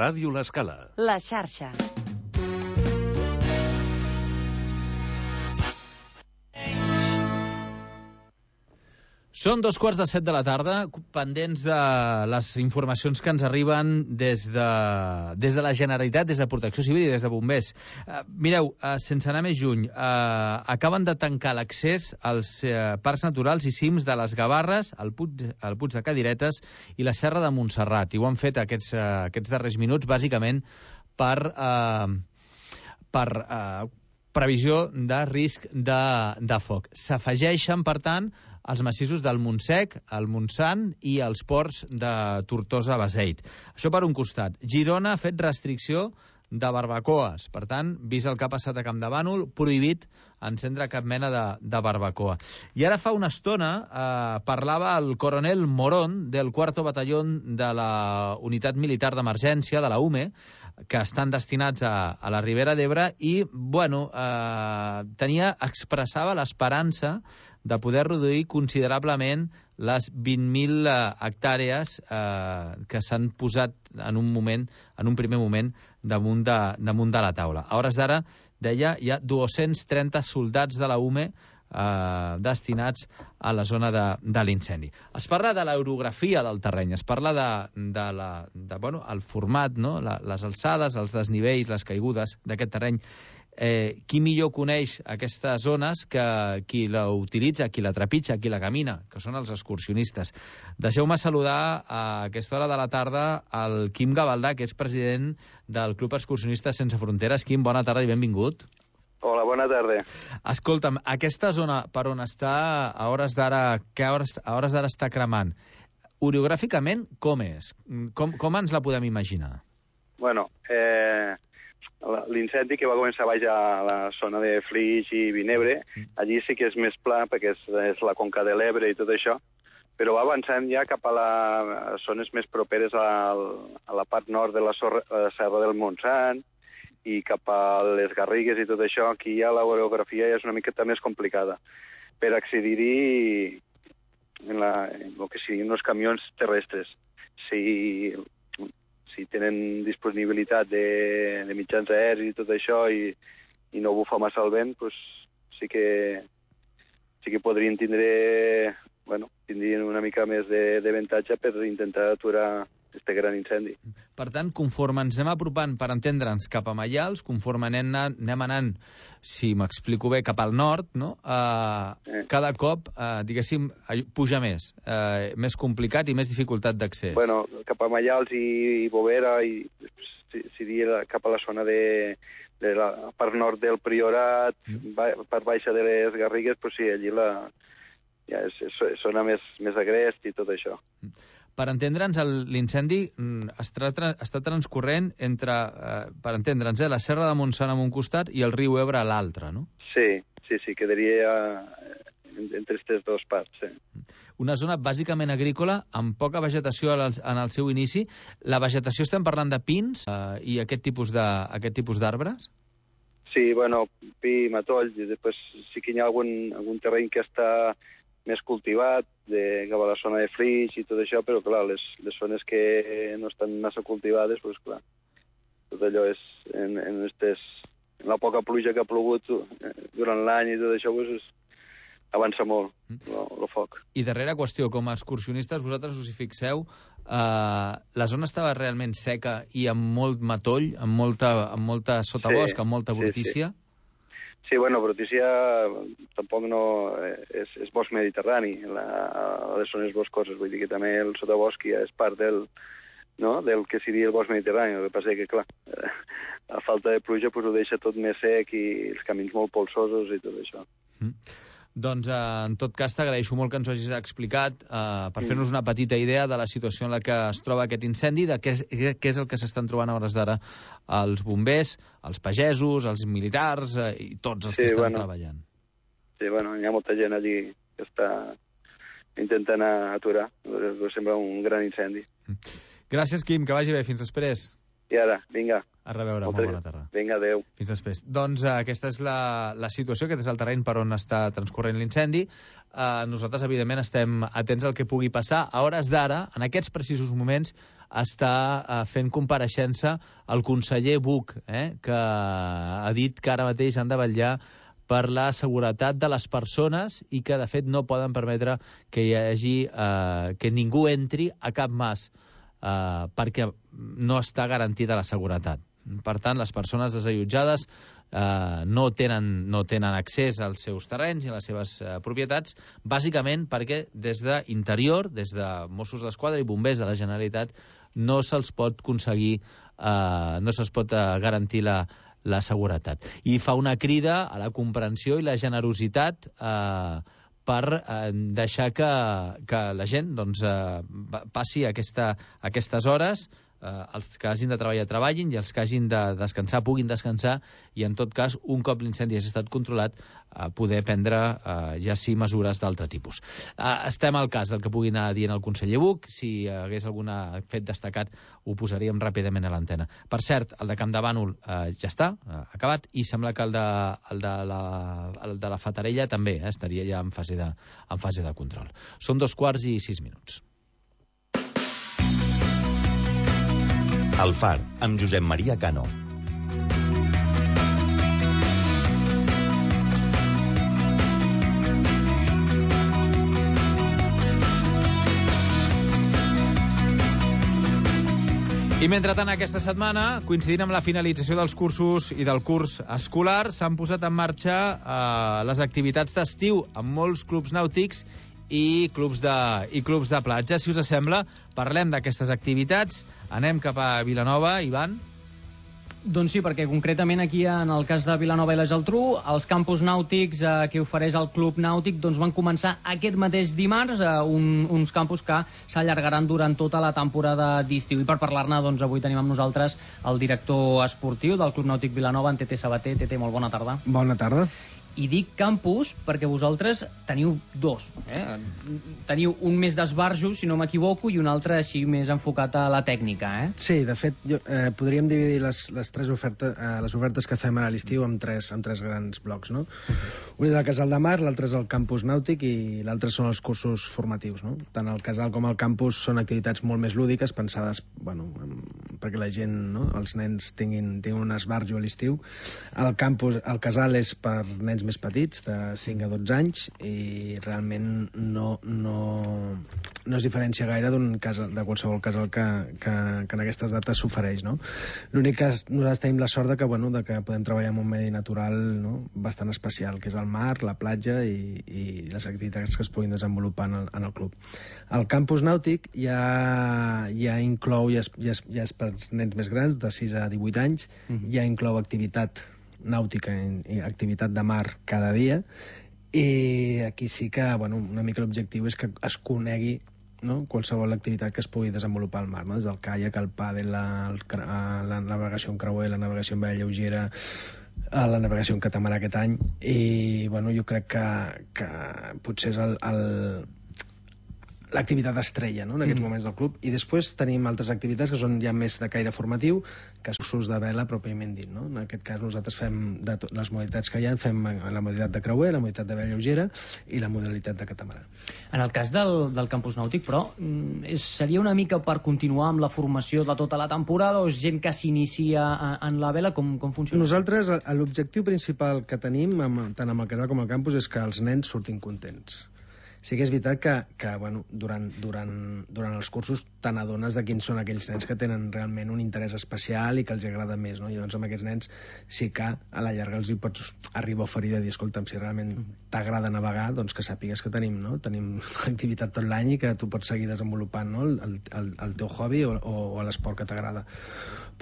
Ràdio L'Escala. La xarxa. Són dos quarts de set de la tarda, pendents de les informacions que ens arriben des de, des de la Generalitat, des de Protecció Civil i des de Bombers. Uh, mireu, uh, sense anar més lluny, uh, acaben de tancar l'accés als uh, parcs naturals i cims de les Gavarres, el Puig, el Puig de Cadiretes i la Serra de Montserrat. I ho han fet aquests, uh, aquests darrers minuts, bàsicament, per... Uh, per uh, previsió de risc de, de foc. S'afegeixen, per tant, els massissos del Montsec, el Montsant i els ports de Tortosa-Beseit. Això per un costat. Girona ha fet restricció de barbacoes. Per tant, vist el que ha passat a Campdevànol, prohibit encendre cap mena de, de barbacoa. I ara fa una estona eh, parlava el coronel Morón del cuarto batallón de la Unitat Militar d'Emergència, de la U M E, que estan destinats a, a la Ribera d'Ebre i, bueno, eh, tenia, expressava l'esperança de poder reduir considerablement les vint mil eh, hectàrees eh, que s'han posat en un moment, en un primer moment, damunt de, damunt de la taula. A hores d'ara, deia, hi ha dos-cents trenta soldats de la U M E eh, destinats a la zona de, de l'incendi. Es parla de l'orografia del terreny, es parla de, de, la, de bueno, el format, no? la, les alçades, els desnivells, les caigudes d'aquest terreny. Eh, qui millor coneix aquestes zones que qui la utilitza, qui la trepitja, qui la camina, que són els excursionistes. Deixeu-me saludar a aquesta hora de la tarda el Quim Gavaldà, que és president del Club Excursionistes Sense Fronteres. Quim, bona tarda i benvingut. Hola, bona tarda. Escolta'm, aquesta zona per on està a hores d'ara, que a hores, a hores d'ara està cremant, orogràficament com és? Com, com ens la podem imaginar? Bueno, eh... l'incendi que va començar baix a la zona de Flix i Vinebre, allí sí que és més pla perquè és, és la conca de l'Ebre i tot això, però va avançant ja cap a, la, a zones més properes al, a la part nord de la, sorra, la Serra del Montsant i cap a les Garrigues i tot això. Aquí ja l'orografia ja és una miqueta més complicada per accedir-hi en, la, en el que siguin els camions terrestres. Si... si tenen disponibilitat de, de mitjans aeris i tot això i, i no bufa massa el vent, pues sí que sí que podrien tindre, bueno, tindrien una mica més de, de avantatge per intentar aturar este gran incendi. Per tant, conforme ens anem apropant, per entendre'ns, cap a Maials, conforme anem, anem anant, si m'explico bé, cap al nord, no? Uh, eh. Cada cop, uh, diguéssim, puja més, uh, més complicat i més dificultat d'accés. Bueno, cap a Maials i, i Bovera, i seria cap a la zona de, de la part nord del Priorat, mm. ba, part baixa de les Garrigues, però sí, allí la, ja és, és zona més, més agrest i tot això. Mm. Per entendre'ns, l'incendi està, està transcorrent entre, eh, per entendre'ns, eh, la Serra de Montsant en un costat i el riu Ebre a l'altre, no? Sí, sí, sí, quedaria entre aquestes dues parts, sí. Una zona bàsicament agrícola, amb poca vegetació en el seu inici. La vegetació, estem parlant de pins eh, i aquest tipus de, aquest tipus d'arbres? Sí, bueno, pi, matoll, i després sí que hi ha algun, algun terreny que està més cultivat, de, cap a la zona de Flix i tot això, però clar, les, les zones que no estan massa cultivades, doncs clar, tot allò és en, en, estes, en la poca pluja que ha plogut durant l'any i tot això, doncs avança molt el foc. I darrera qüestió, com a excursionistes, vosaltres us hi fixeu, eh, la zona estava realment seca i amb molt matoll, amb molta, amb molta sotabosc, sí, amb molta brutícia? Sí, sí. Sí, bueno, brutícia tampoc no... És, és bosc mediterrani, la, a les zones boscoses, vull dir que també el sotabosc ja és part del, no? del que seria el bosc mediterrani. El que passa que, clar, a falta de pluja pues, ho deixa tot més sec i els camins molt polsosos i tot això. Mm. Doncs, eh, en tot cas, t'agraeixo molt que ens ho hagis explicat eh, per fer-nos una petita idea de la situació en la que es troba aquest incendi, de què és, què és el que s'estan trobant a hores d'ara els bombers, els pagesos, els militars eh, i tots els sí, que estan bueno, treballant. Sí, bueno, hi ha molta gent allí que està intentant aturar. Sembla un gran incendi. Gràcies, Quim, que vagi bé. Fins després. I ara, vinga. A reveure, molt bona tarda. Vinga, adeu. Fins després. Doncs uh, aquesta és la, la situació, aquest és el terreny per on està transcorrent l'incendi. Uh, nosaltres, evidentment, estem atents al que pugui passar. A hores d'ara, en aquests precisos moments, està uh, fent compareixença el conseller Buch, eh, que ha dit que ara mateix han de vetllar per la seguretat de les persones i que, de fet, no poden permetre que hi hagi, uh, que ningú entri a cap mas, uh, perquè no està garantida la seguretat. Per tant, les persones desallotjades eh, no, tenen, no tenen accés als seus terrenys i a les seves eh, propietats, bàsicament perquè des d'interior, des de Mossos d'Esquadra i bombers de la Generalitat, no se'ls pot aconseguir, eh, no se'ls pot eh, garantir la, la seguretat. I fa una crida a la comprensió i la generositat eh, per eh, deixar que, que la gent doncs, eh, passi aquesta, aquestes hores, eh, els que hagin de treballar treballin i els que hagin de descansar puguin descansar, i en tot cas, un cop l'incendi hagi estat controlat, eh, poder prendre eh, ja sí mesures d'altre tipus. Eh, estem al cas del que pugui anar dient el conseller Buch. Si hagués algun fet destacat ho posaríem ràpidament a l'antena. Per cert, el de Campdevànol eh, ja està, eh, acabat, i sembla que el de, el de, la, el de la Fatarella també eh, estaria ja en fase, de, en fase de control. Són dos quarts i sis minuts. El Far, amb Josep Maria Cano. I mentrestant, aquesta setmana, coincidint amb la finalització dels cursos i del curs escolar, s'han posat en marxa eh, les activitats d'estiu amb molts clubs nàutics i clubs de, i clubs de platja. Si us sembla, parlem d'aquestes activitats. Anem cap a Vilanova, Ivan. Doncs sí, perquè concretament aquí en el cas de Vilanova i la Geltrú, els campus nàutics eh, que ofereix el Club Nàutic doncs van començar aquest mateix dimarts, eh, un, uns campus que s'allargaran durant tota la temporada d'estiu. I per parlar-ne, doncs avui tenim amb nosaltres el director esportiu del Club Nàutic Vilanova, en Tete Sabater. Tete, molt bona tarda. Bona tarda. I dic campus perquè vosaltres teniu dos. Eh? Teniu un més d'esbarjo, si no m'equivoco, i un altre així més enfocat a la tècnica. Eh? Sí, de fet, jo, eh, podríem dividir les, les tres ofertes, eh, les ofertes que fem a l'estiu en tres, en tres grans blocs. No? Un és el Casal de Mar, l'altre és el campus nàutic i l'altre són els cursos formatius. No? Tant el casal com el campus són activitats molt més lúdiques, pensades bueno, perquè la gent, no? els nens tinguin, tinguin un esbarjo a l'estiu. El campus, el casal és per nens més petits, de cinc a dotze anys, i realment no, no, no es diferencia gaire d'un casal, de qualsevol casal que, que, que en aquestes dates s'ofereix. No? L'únic que nosaltres tenim la sort de que, bueno, de que podem treballar en un medi natural, no? bastant especial, que és el mar, la platja i, i les activitats que es puguin desenvolupar en el, en el club. El campus nàutic ja, ja inclou, ja és, ja, és, ja és per nens més grans, de sis a divuit anys, uh-huh. ja inclou activitat nàutica i activitat de mar cada dia, i aquí sí que bueno, una mica l'objectiu és que es conegui, no? qualsevol activitat que es pugui desenvolupar al mar, no? des del caiac, el pàdel, la, el, la navegació en creuer, la navegació en vela lleugera, la navegació en catamarà aquest any, i bueno, jo crec que, que potser és el, el l'activitat estrella, no? en aquests mm. moments del club. I després tenim altres activitats que són ja més de caire formatiu, que són cursos de vela pròpiament dit. No? En aquest cas nosaltres fem de les modalitats que hi ha, fem la modalitat de creuer, la modalitat de vela lleugera i la modalitat de catamarà. En el cas del, del campus nàutic, però, és, seria una mica per continuar amb la formació de tota la temporada, o és gent que s'inicia en la vela? Com, com funciona? Nosaltres, l'objectiu principal que tenim, amb, tant amb el casal com el campus, és que els nens surtin contents. Sí que és veritat que, que bueno, durant, durant, durant els cursos te n'adones de quins són aquells nens que tenen realment un interès especial i que els agrada més, no? I llavors amb aquests nens sí que a la llarga els hi pots arribar a oferir de dir, escolta'm, si realment t'agrada navegar, doncs que sàpigues que tenim, no? Tenim activitat tot l'any i que tu pots seguir desenvolupant, no? el, el, el teu hobby o, o, o l'esport que t'agrada.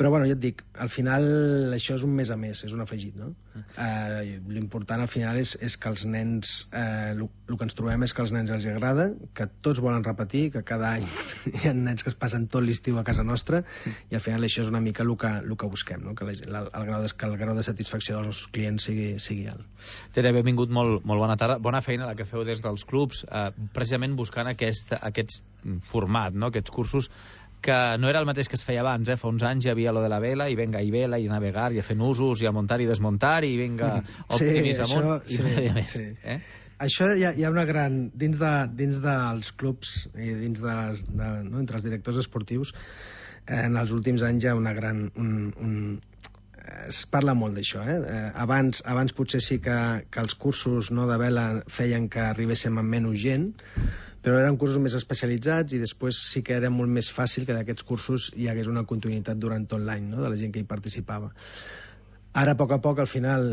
Però, bueno, ja et dic, al final això és un més a més, és un afegit, no? Eh, l'important al final és, és que els nens, eh, el que ens trobem és que als nens els agrada, que tots volen repetir, que cada any hi ha nens que es passen tot l'estiu a casa nostra, i al final això és una mica el que, el que busquem, no? Que, la, el, grau de, que el grau de satisfacció dels clients sigui, sigui alt. Tere, benvingut, molt, molt bona tarda. Bona feina la que feu des dels clubs, eh, precisament buscant aquest, aquest format, no? Aquests cursos que no era el mateix que es feia abans, eh? Fa uns anys hi havia lo de la vela, i venga, i vela, i navegar, i a fer nusos, i a muntar i desmuntar, i venga, optimis amunt, sí, i no hi ha més. Sí. Eh? Això hi ha, hi ha una gran... Dins, de, dins dels clubs i dins de, les, de no, entre els directors esportius, eh, en els últims anys hi ha una gran... Un, un, es parla molt d'això, eh? eh abans, abans potser sí que, que els cursos no, de vela feien que arribéssim amb menys gent, però eren cursos més especialitzats i després sí que era molt més fàcil que d'aquests cursos hi hagués una continuïtat durant tot l'any, no?, de la gent que hi participava. Ara, a poc a poc, al final,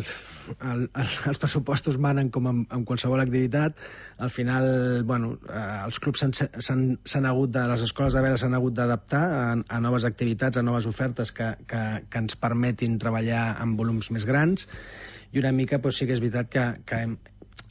el, el, els pressupostos manen com en, en qualsevol activitat. Al final, bueno, eh, els clubs s'han hagut de, les escoles de vela s'han hagut d'adaptar a, a noves activitats, a noves ofertes que, que, que ens permetin treballar amb volums més grans, i una mica doncs, sí que és veritat que, que hem,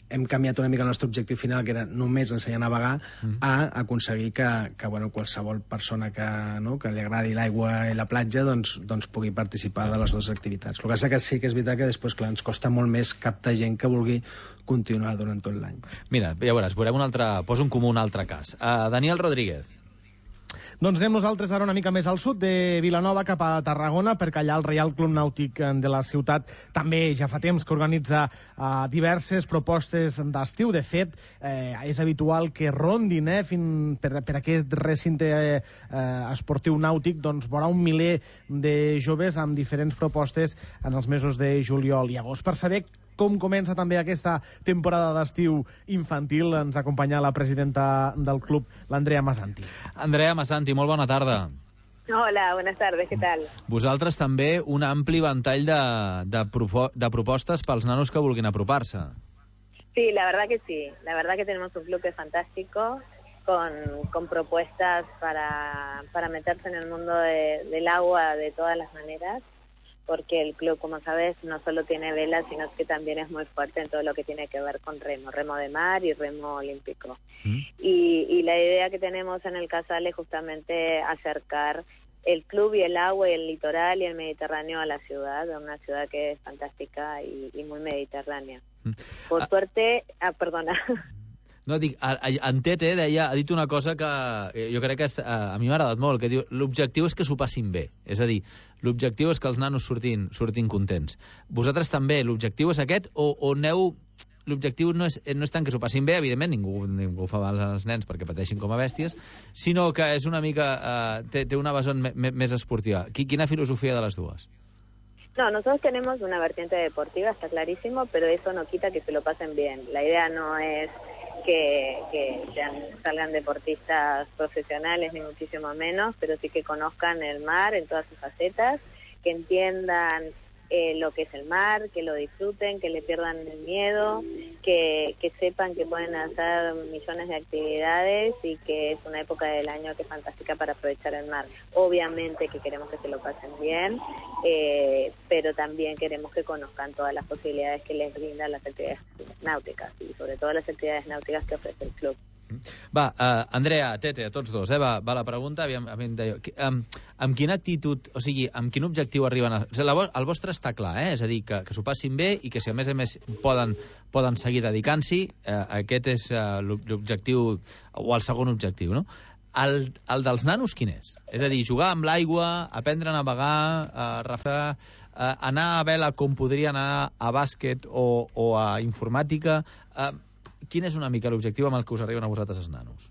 hem canviat una mica el nostre objectiu final, que era només ensenyar a navegar, mm. a aconseguir que, que bueno, qualsevol persona que, no, que li agradi l'aigua i la platja doncs, doncs pugui participar de les dues activitats. El que passa que sí que és veritat que després, clar, ens costa molt més captar gent que vulgui continuar durant tot l'any. Mira, ja veuràs, veurem un altre, poso en comú un altre cas. Uh, Daniel Rodríguez. Doncs anem nosaltres ara una mica més al sud de Vilanova, cap a Tarragona, perquè allà el Reial Club Nàutic de la ciutat també ja fa temps que organitza uh, diverses propostes d'estiu. De fet, eh, és habitual que rondin eh, fin, per, per aquest recinte eh, esportiu nàutic, doncs veurà un miler de joves amb diferents propostes en els mesos de juliol i agost. Per saber com comença també aquesta temporada d'estiu infantil, ens acompanya la presidenta del club, l'Andrea Masanti. Andrea Masanti, molt bona tarda. Hola, buenas tardes, ¿qué tal? Vosaltres també un ampli ventall de, de, propo de propostes pels nanos que vulguin apropar-se. Sí, la verdad que sí. La verdad que tenemos un club que es fantástico, con, con propuestas para, para meterse en el mundo de, del agua de todas las maneras, porque el club, como sabes, no solo tiene vela, sino que también es muy fuerte en todo lo que tiene que ver con remo, remo de mar y remo olímpico. Mm. Y, y la idea que tenemos en el Casal es justamente acercar el club y el agua y el litoral y el Mediterráneo a la ciudad, a una ciudad que es fantástica y, y muy mediterránea. Mm. Por ah. suerte... Ah, perdona... No, dic, en Tete deia, ha dit una cosa que jo crec que a mi m'ha agradat molt, que diu l'objectiu és que s'ho passin bé. És a dir, l'objectiu és que els nanos surtin, surtin contents. Vosaltres també, l'objectiu és aquest o, o aneu... L'objectiu no és, no és tant que s'ho passin bé, evidentment, ningú, ningú fa mal als nens perquè pateixin com a bèsties, sinó que és una mica... Eh, té, té una vessant més esportiva. Quina filosofia de les dues? No, nosotros tenemos una vertiente deportiva, está clarísimo, pero eso no quita que se lo pasen bien. La idea no es que, que sean, salgan deportistas profesionales, ni muchísimo menos, pero sí que conozcan el mar en todas sus facetas, que entiendan eh, lo que es el mar, que lo disfruten, que le pierdan el miedo, que, que sepan que pueden hacer millones de actividades y que es una época del año que es fantástica para aprovechar el mar. Obviamente que queremos que se lo pasen bien, eh, pero también queremos que conozcan todas las posibilidades que les brindan las actividades náuticas y sobre todo las actividades náuticas que ofrece el club. Va, uh, Andrea, Tete, a tots dos, eh? va, va la pregunta, aviam, aviam, deia, amb, amb quina actitud, o sigui, amb quin objectiu arriben a... O sigui, el vostre està clar, eh? És a dir, que, que s'ho passin bé i que si a més a més poden, poden seguir dedicant-s'hi, eh, aquest és uh, l'objectiu, o el segon objectiu, no? El, el dels nanos quin és? És a dir, jugar amb l'aigua, aprendre a navegar, a refar, a anar a vela com podria anar a bàsquet o, o a informàtica... Eh, ¿Quién es una mica el objetivo amb el que us arriben a vosaltres els nanos?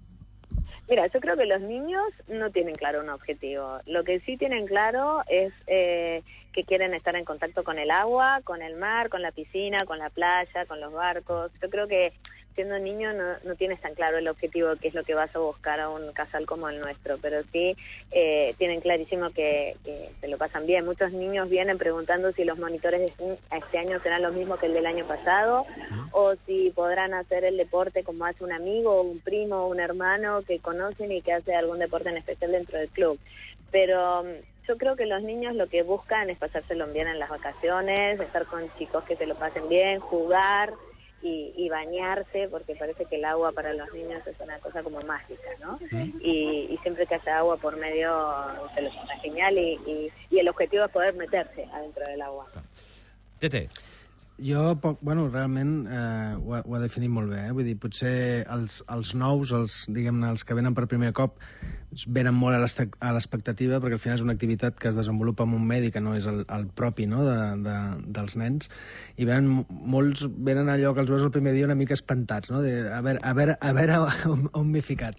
Mira, yo creo que los niños no tienen claro un objetivo. Lo que sí tienen claro es eh, que quieren estar en contacto con el agua, con el mar, con la piscina, con la playa, con los barcos. Yo creo que siendo niño no, no tienes tan claro el objetivo, que es lo que vas a buscar a un casal como el nuestro, pero sí eh, tienen clarísimo que, que se lo pasan bien. Muchos niños vienen preguntando si los monitores de este año serán los mismos que el del año pasado, o si podrán hacer el deporte como hace un amigo, un primo, un hermano que conocen y que hace algún deporte en especial dentro del club. Pero yo creo que los niños lo que buscan es pasárselo bien en las vacaciones, estar con chicos que se lo pasen bien, jugar y, y bañarse, porque parece que el agua para los niños es una cosa como mágica, ¿no? Uh-huh. y, y siempre que haya agua por medio se los pasa genial y, y, y el objetivo es poder meterse adentro del agua. Tete. Jo, poc, bueno, realment eh, ho, ha, ho ha definit molt bé, eh? Vull dir, potser els, els nous, els, diguem-ne, els que venen per primer cop, venen molt a l'expectativa, perquè al final és una activitat que es desenvolupa amb un medi que no és el, el propi, no?, de, de, dels nens, i venen, molts venen allò que els veus el primer dia una mica espantats, no?, de, a veure, a veure, a veure on, on m'he ficat.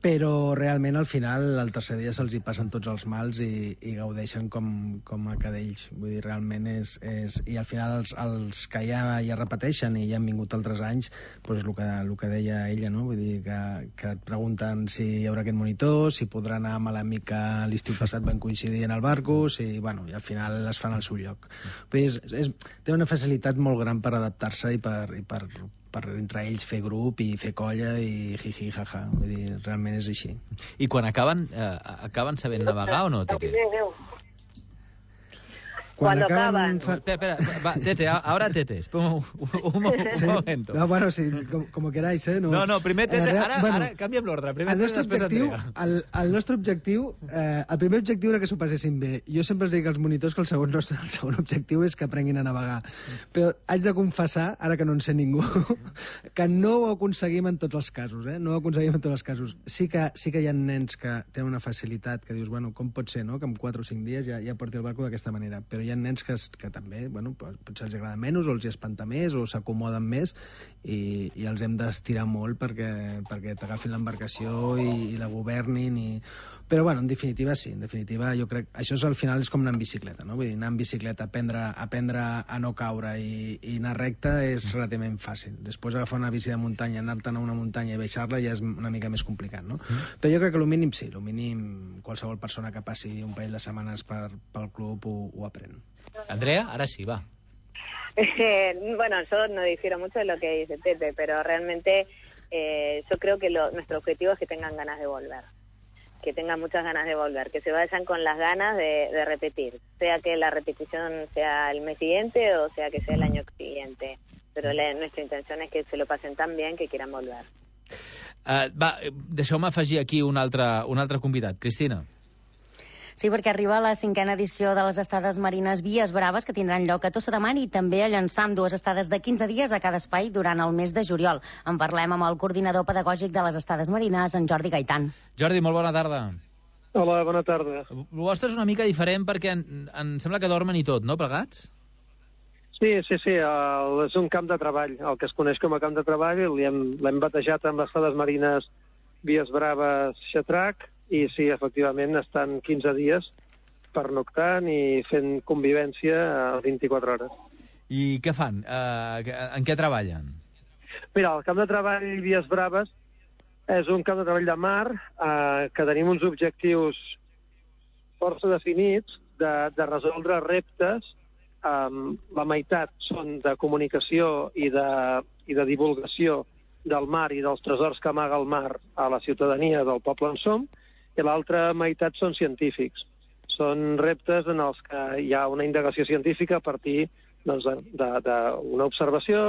Però realment al final, el tercer dia se'ls hi passen tots els mals i, i gaudeixen com, com a cadells. Vull dir, realment és... és i al final els, els que ja, ja repeteixen i ja han vingut altres anys, doncs el que, el que deia ella, no? Vull dir, que, que et pregunten si hi haurà aquest monitor, si podrà anar amb l'amic que l'estiu passat van coincidir en el barco, si, bueno, i al final es fan al seu lloc. Vull dir, és, és, té una facilitat molt gran per adaptar-se i per... I per per entre ells fer grup i fer colla i jiji, jaja. Vull dir, realment és així. I quan acaben, eh, acaben sabent navegar o no, Tete? Cuando acaban. Espera, espera, va, Tete, ahora Tete. Espera un, un, un sí. momento. No, bueno, sí, com, como queráis, eh? No, no, no primer Tete, eh, ara, bueno, ara canviem l'ordre. Primer Tete, després objectiu, Andrea. El, el nostre objectiu, eh, el primer objectiu era que s'ho passessin bé. Jo sempre els dic als monitors que el segon, nostre, el segon objectiu és que aprenguin a navegar. Però haig de confessar, ara que no en sé ningú, que no ho aconseguim en tots els casos, eh? No ho aconseguim en tots els casos. Sí que, sí que hi ha nens que tenen una facilitat que dius, bueno, com pot ser, no?, que en quatre o cinc dies ja, ja porti el barco d'aquesta manera. Però hi ha nens que, que també, bueno, potser els agrada menys o els hi espanta més o s'acomoden més i, i els hem d'estirar molt perquè, perquè t'agafin l'embarcació i, i la governin i... Però, bueno, en definitiva, sí. En definitiva, jo crec... Això és, al final és com anar en bicicleta, no? Vull dir, anar en bicicleta, aprendre, aprendre a no caure i, i anar recte és relativament fàcil. Després agafar una bici de muntanya, anar-te'n a una muntanya i baixar-la ja és una mica més complicat, no? Mm. Però jo crec que el mínim sí, el mínim qualsevol persona que passi un parell de setmanes per, pel club ho, ho aprèn. Andrea, ahora sí, va. Eh, bueno, yo no difiero mucho de lo que dice Tete, pero realmente eh, yo creo que lo, nuestro objetivo es que tengan ganas de volver. Que tengan muchas ganas de volver, que se vayan con las ganas de, de repetir, sea que la repetición sea el mes siguiente o sea que sea el año siguiente, pero la, nuestra intención es que se lo pasen tan bien que quieran volver. Uh, va, deixeu-me afegir aquí un altre, un altre convidat. Cristina. Sí, perquè arriba la cinquena edició de les estades marines Vies Braves, que tindran lloc a Tossa de Mar i també a Llançà, amb dues estades de quinze dies a cada espai durant el mes de juliol. En parlem amb el coordinador pedagògic de les estades marines, en Jordi Gaitan. Jordi, molt bona tarda. Hola, bona tarda. El vostre és una mica diferent perquè en, em sembla que dormen i tot, no, plegats? Sí, sí, sí, el, és un camp de treball, el que es coneix com a camp de treball, l'hem batejat amb les estades marines Vies Braves Xatrac, i sí, efectivament, estan quinze dies pernoctant i fent convivència a vint-i-quatre hores. I què fan? Uh, en què treballen? Mira, el camp de treball Vies Braves és un camp de treball de mar eh, que tenim uns objectius força definits de, de resoldre reptes. Um, la meitat són de comunicació i de, i de divulgació del mar i dels tresors que amaga el mar a la ciutadania del poble on som, i l'altra meitat són científics. Són reptes en els que hi ha una indagació científica a partir doncs, d'una observació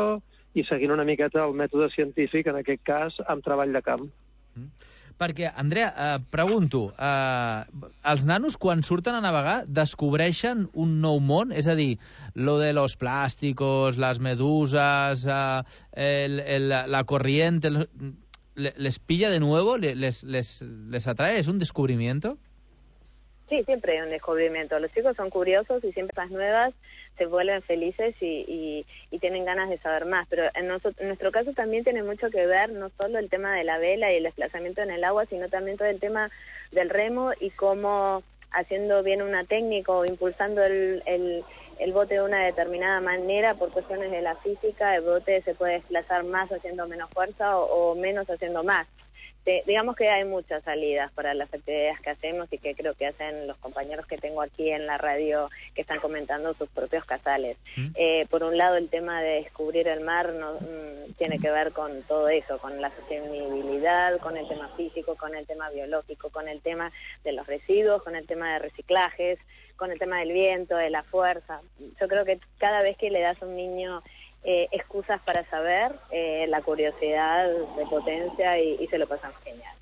i seguint una miqueta el mètode científic, en aquest cas, amb treball de camp. Mm. Perquè, Andrea, eh, pregunto, eh, els nanos quan surten a navegar descobreixen un nou món? És a dir, lo de los plásticos, las medusas, eh, el, el, la corriente... El... ¿Les pilla de nuevo? ¿Les, les, les atrae? ¿Es un descubrimiento? Sí, siempre hay un descubrimiento. Los chicos son curiosos y siempre las nuevas se vuelven felices y, y, y tienen ganas de saber más. Pero en, nosotros, en nuestro caso también tiene mucho que ver no solo el tema de la vela y el desplazamiento en el agua, sino también todo el tema del remo y cómo haciendo bien una técnica o impulsando el... el el bote de una determinada manera, por cuestiones de la física, el bote se puede desplazar más haciendo menos fuerza o, o menos haciendo más. De, digamos que hay muchas salidas para las actividades que hacemos y que creo que hacen los compañeros que tengo aquí en la radio que están comentando sus propios casales. ¿Mm? Eh, por un lado, el tema de descubrir el mar no, mmm, tiene que ver con todo eso, con la sostenibilidad, con el tema físico, con el tema biológico, con el tema de los residuos, con el tema de reciclajes, con el tema del viento, de la fuerza. Yo creo que cada vez que le das a un niño eh, excusas para saber, eh, la curiosidad se potencia y, y se lo pasan genial.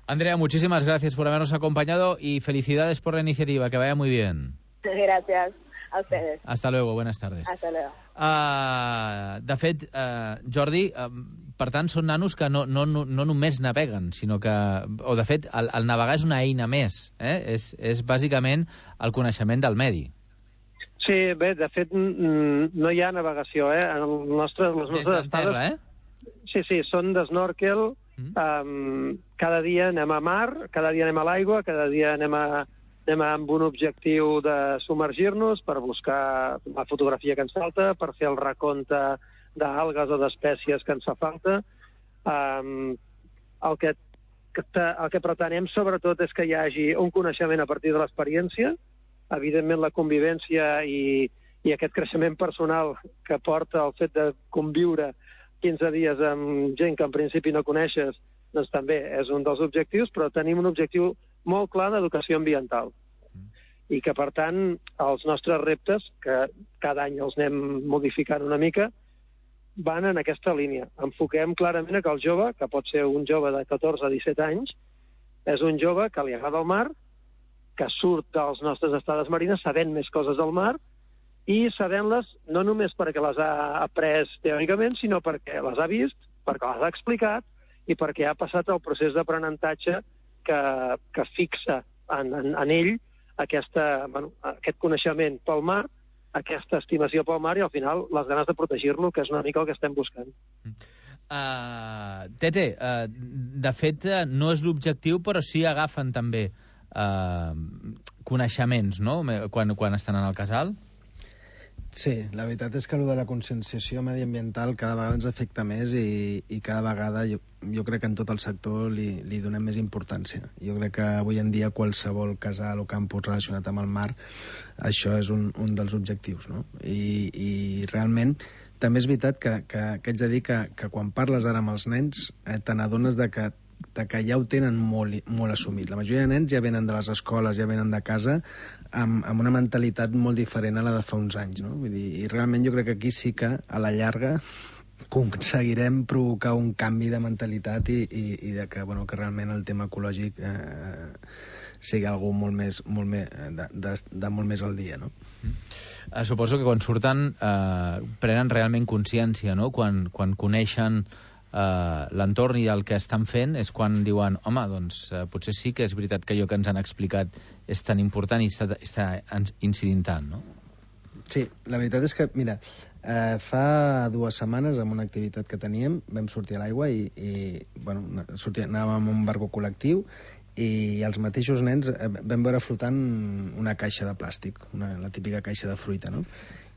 Andrea, muchísimas gracias por habernos acompañado y felicidades por la iniciativa, que vaya muy bien. Gracias a ustedes. Hasta luego, buenas tardes. Hasta luego. Uh, de fet, uh, Jordi, uh, per tant, són nanos que no, no, no, no només naveguen, sinó que... O, de fet, el, el navegar és una eina més. Eh? És, és bàsicament el coneixement del medi. Sí, bé, de fet, no hi ha navegació, eh? En el nostre, les nostres estades... Terra, eh? Sí, sí, són d'snorkel. Mm. Um, cada dia anem a mar, cada dia anem a l'aigua, cada dia anem a... anem amb un objectiu de submergir-nos per buscar la fotografia que ens falta, per fer el recompte d'algues o d'espècies que ens fa falta. Um, el, que, el que pretenem, sobretot, és que hi hagi un coneixement a partir de l'experiència, evidentment la convivència i, i aquest creixement personal que porta el fet de conviure quinze dies amb gent que en principi no coneixes, doncs també és un dels objectius, però tenim un objectiu molt clar d'educació ambiental. I que, per tant, els nostres reptes, que cada any els anem modificant una mica, van en aquesta línia. Enfoquem clarament que el jove, que pot ser un jove de catorze a disset anys, és un jove que li agrada el mar, que surt dels nostres estades marines sabent més coses del mar, i sabent-les no només perquè les ha après teòricament, sinó perquè les ha vist, perquè les ha explicat i perquè ha passat el procés d'aprenentatge que, que fixa en, en, en ell aquesta, bueno, aquest coneixement pel mar, aquesta estimació pel mar i al final les ganes de protegir-lo, que és una mica el que estem buscant. Uh, Tete, uh, de fet no és l'objectiu, però sí agafen també uh, coneixements, no?, quan, quan estan en el casal? Sí, la veritat és que el de la conscienciació mediambiental cada vegada ens afecta més i, i cada vegada jo, jo crec que en tot el sector li, li donem més importància. Jo crec que avui en dia qualsevol casal o campus relacionat amb el mar, això és un, un dels objectius, no? I, i realment també és veritat que, que, que haig de dir que, que quan parles ara amb els nens eh, te n'adones de que de que ja ho tenen molt, molt assumit. La majoria de nens ja venen de les escoles, ja venen de casa, amb, amb una mentalitat molt diferent a la de fa uns anys, no? Vull dir, i realment jo crec que aquí sí que, a la llarga, aconseguirem provocar un canvi de mentalitat i, i, i de que, bueno, que realment el tema ecològic eh, sigui algú molt més, molt més, de, de, de molt més al dia, no? Uh, suposo que quan surten uh, prenen realment consciència, no? Quan, quan coneixen Uh, l'entorn i el que estan fent és quan diuen, home, doncs uh, potser sí que és veritat que allò que ens han explicat és tan important i està, està incidint tant, no? Sí, la veritat és que, mira, uh, fa dues setmanes amb una activitat que teníem vam sortir a l'aigua i, i bueno, sortia, anàvem amb un barco col·lectiu i els mateixos nens eh, vam veure flotant una caixa de plàstic, una, la típica caixa de fruita, no?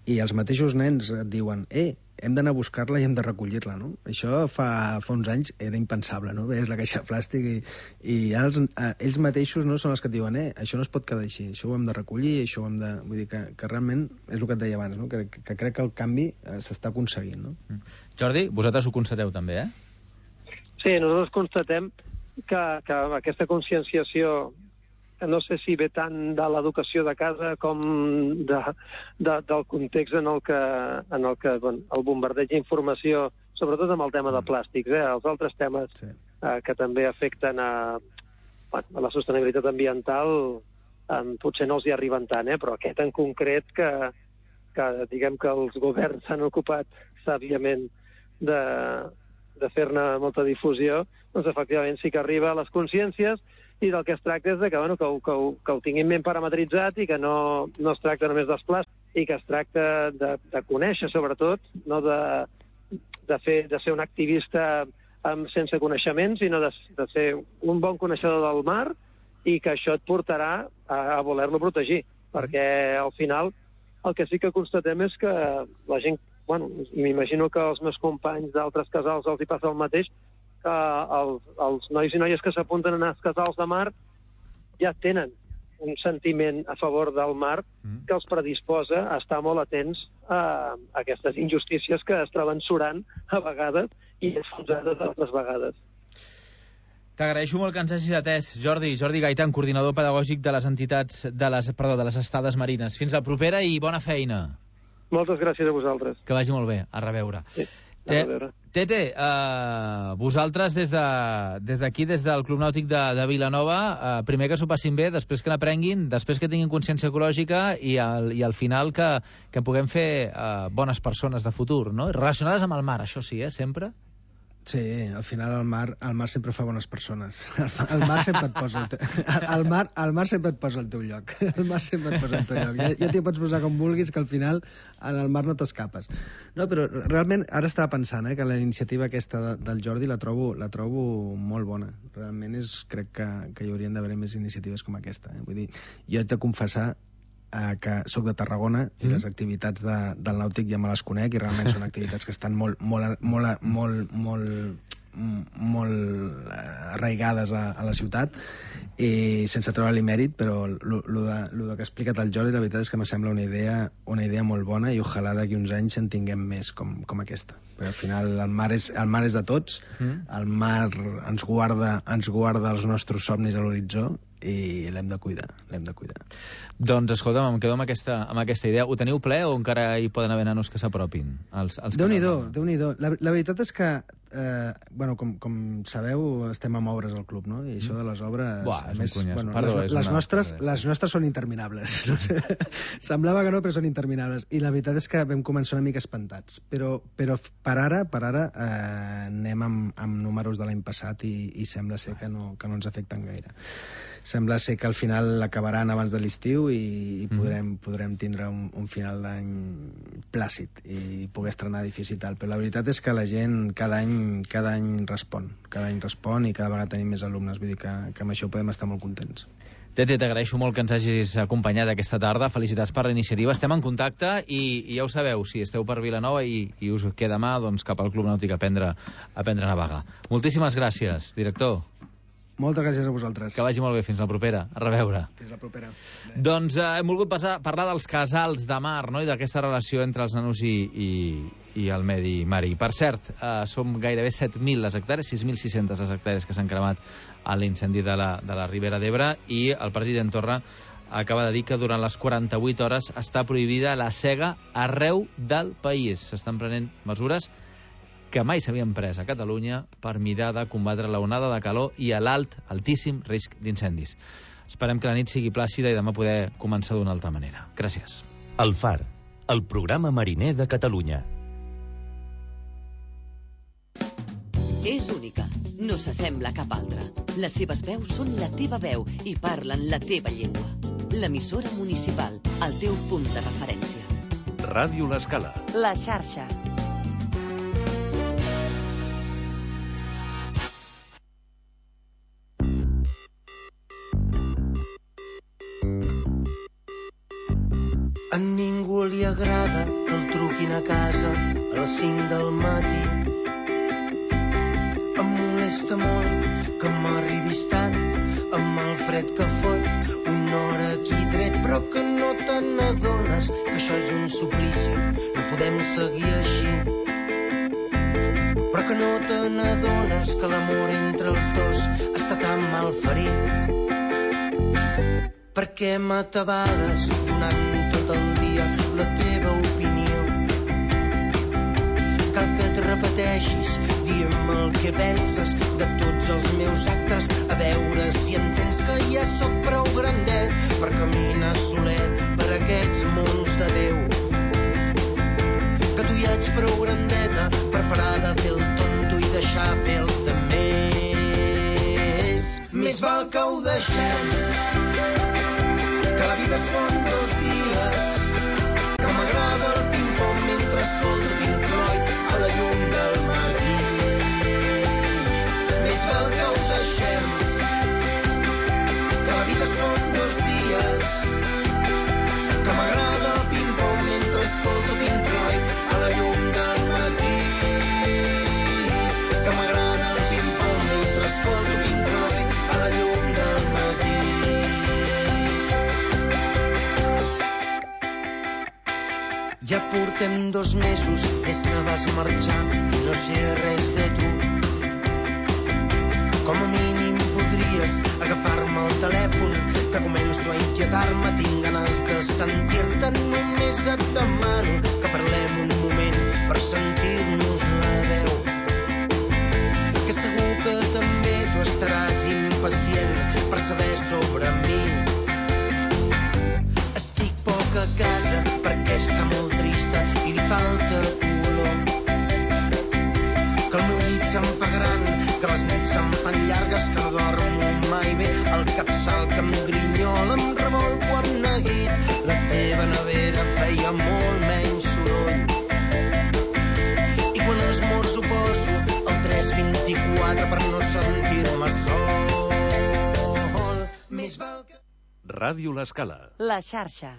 I els mateixos nens et diuen, eh, hem d'anar a buscar-la i hem de recollir-la, no? Això fa, fa uns anys era impensable, no? Veies la caixa de plàstic i, i els, eh, ells mateixos no són els que et diuen, eh, això no es pot quedar així, això ho hem de recollir, això ho hem de... Vull dir que, que realment és el que et deia abans, no? Que, que crec que el canvi eh, s'està aconseguint, no? Jordi, vosaltres ho constateu també, eh? Sí, nosaltres constatem que, que aquesta conscienciació, no sé si ve tant de l'educació de casa com de, de, del context en el que, en el, que bueno, el bombardeig d'informació, sobretot amb el tema de plàstics, eh? Els altres temes sí. eh, que també afecten a, bueno, a la sostenibilitat ambiental eh, potser no els hi arriben tant, eh? Però aquest en concret que, que diguem que els governs s'han ocupat sàviament de, de fer-ne molta difusió, doncs efectivament sí que arriba a les consciències i del que es tracta és de que, bueno, que, ho, que, ho, que ho tinguin ben parametritzat i que no, no es tracta només dels plàstics i que es tracta de, de conèixer, sobretot, no de, de, fer, de ser un activista amb, sense coneixement, sinó de, de ser un bon coneixedor del mar i que això et portarà a, a voler-lo protegir, perquè al final el que sí que constatem és que la gent, bueno, i m'imagino que als meus companys d'altres casals els hi passa el mateix, que els, els nois i noies que s'apunten a els casals de mar ja tenen un sentiment a favor del mar que els predisposa a estar molt atents a aquestes injustícies que es troben surant a vegades i enfonsades altres vegades. T'agraeixo molt que ens hagis atès, Jordi. Jordi Gaitan, coordinador pedagògic de les entitats de les, perdó, de les estades marines. Fins la propera i bona feina. Moltes gràcies a vosaltres. Que vagi molt bé. A reveure. Sí. Tete, uh, vosaltres des d'aquí, de, des, des del Club Nàutic de, de Vilanova, uh, primer que s'ho passin bé, després que n'aprenguin, després que tinguin consciència ecològica i al, i al final que, que puguem fer uh, bones persones de futur, no? Relacionades amb el mar, això sí, eh, sempre? Sí, al final el mar, el mar sempre fa bones persones. El, el mar sempre et posa el, te... el, mar, el mar sempre et posa al teu lloc. El mar sempre et posa al teu lloc. Ja, ja t'hi pots posar com vulguis, que al final en el mar no t'escapes. No, però realment ara estava pensant eh, que la iniciativa aquesta de, del Jordi la trobo, la trobo molt bona. Realment és, crec que, que hi haurien d'haver més iniciatives com aquesta. Eh? Vull dir, jo haig de confessar eh, que sóc de Tarragona i mm. les activitats de, del nàutic ja me les conec i realment són activitats que estan molt, molt, molt, molt, molt, molt arraigades a, a la ciutat i sense treure-li mèrit, però el que ha explicat el Jordi la veritat és que me sembla una idea, una idea molt bona i ojalà d'aquí uns anys en tinguem més com, com aquesta. Però al final el mar és, el mar és de tots, mm. el mar ens guarda, ens guarda els nostres somnis a l'horitzó i l'hem de cuidar, l'hem de cuidar. Doncs escolta'm, em quedo amb aquesta, amb aquesta idea. Ho teniu ple o encara hi poden haver nanos que s'apropin? Déu-n'hi-do, Déu-n'hi-do. La, la veritat és que, eh, bueno, com, com sabeu, estem amb obres al club, no? I això de les obres... Buah, és més, un cunyàs. Bueno, Perdó, les, és les, una... nostres, les nostres són interminables. No sé. Semblava que no, però són interminables. I la veritat és que vam començar una mica espantats. Però, però per ara, per ara eh, anem amb, amb números de l'any passat i, i sembla ser que no, que no ens afecten gaire. Sembla ser que al final acabaran abans de l'estiu i, i podrem, podrem tindre un, un final d'any plàcid i poder estrenar edifici i tal. Però la veritat és que la gent cada any, cada any respon. Cada any respon i cada vegada tenim més alumnes. Vull dir que, que amb això podem estar molt contents. Tete, t'agraeixo molt que ens hagis acompanyat aquesta tarda. Felicitats per la iniciativa. Estem en contacte i, i ja ho sabeu, si esteu per Vilanova i, i us queda mà, doncs cap al Club Nàutic a aprendre, a aprendre a navegar. Moltíssimes gràcies, director. Moltes gràcies a vosaltres. Que vagi molt bé. Fins la propera. A reveure. Fins la propera. Bé. Doncs eh, hem volgut passar, parlar dels casals de mar, no? I d'aquesta relació entre els nanos i, i, i el medi marí. Per cert, eh, som gairebé set mil les hectàrees, sis mil sis-centes les hectàrees que s'han cremat a l'incendi de la, de la Ribera d'Ebre i el president Torra acaba de dir que durant les quaranta-vuit hores està prohibida la sega arreu del país. S'estan prenent mesures que mai s'havien pres a Catalunya per mirar de combatre la onada de calor i l'alt, altíssim risc d'incendis. Esperem que la nit sigui plàcida i demà poder començar d'una altra manera. Gràcies. El Far, el programa mariner de Catalunya. És única, no s'assembla a cap altra. Les seves veus són la teva veu i parlen la teva llengua. L'emissora municipal, el teu punt de referència. Ràdio L'Escala. La xarxa. A ningú li agrada que el truquin a casa a les cinc del matí. Em molesta molt que m'arribis tard amb el fred que fot una hora aquí dret, però que no te n'adones que això és un suplici, no podem seguir així. Però que no te n'adones que l'amor entre els dos està tan mal ferit. Per què m'atabales donant tot el dia la teva opinió? Cal que et repeteixis, digue'm el que penses de tots els meus actes, a veure si entens que ja sóc prou grandet per caminar solet per aquests mons de Déu. Que tu ja ets prou grandeta per parar de fer el tonto i deixar fer els de més. Més val que ho deixem, que la vida són dos dies, que m'agrada el ping-pong mentre escolto Pink Floyd a la llum del matí. Més val que ho deixem, que la vida són dos dies, que m'agrada el ping-pong mentre escolto Pink Floyd a la llum del matí. Que m'agrada el ping-pong mentre escolto Pink Floyd a la llum del matí. Ja portem dos mesos des que vas marxar i no sé res de tu. Com a mínim podries agafar-me el telèfon, que començo a inquietar-me, tinc ganes de sentir-te. Només et demano que parlem un moment per sentir-nos-la. impacient per saber sobre mi. Estic poc a casa perquè està molt trista i li falta color. Que el meu llit se'm fa gran, que les nits se'm fan llargues, que no dormo mai bé, el capçal que em grinyola, em revolco amb neguit. La teva nevera feia molt menys soroll. I quan esmorzo poso el tres vint-i-quatre per no sentir-me sol. Més val que... Ràdio L'Escala. La xarxa.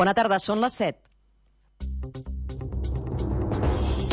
Bona tarda, són les set.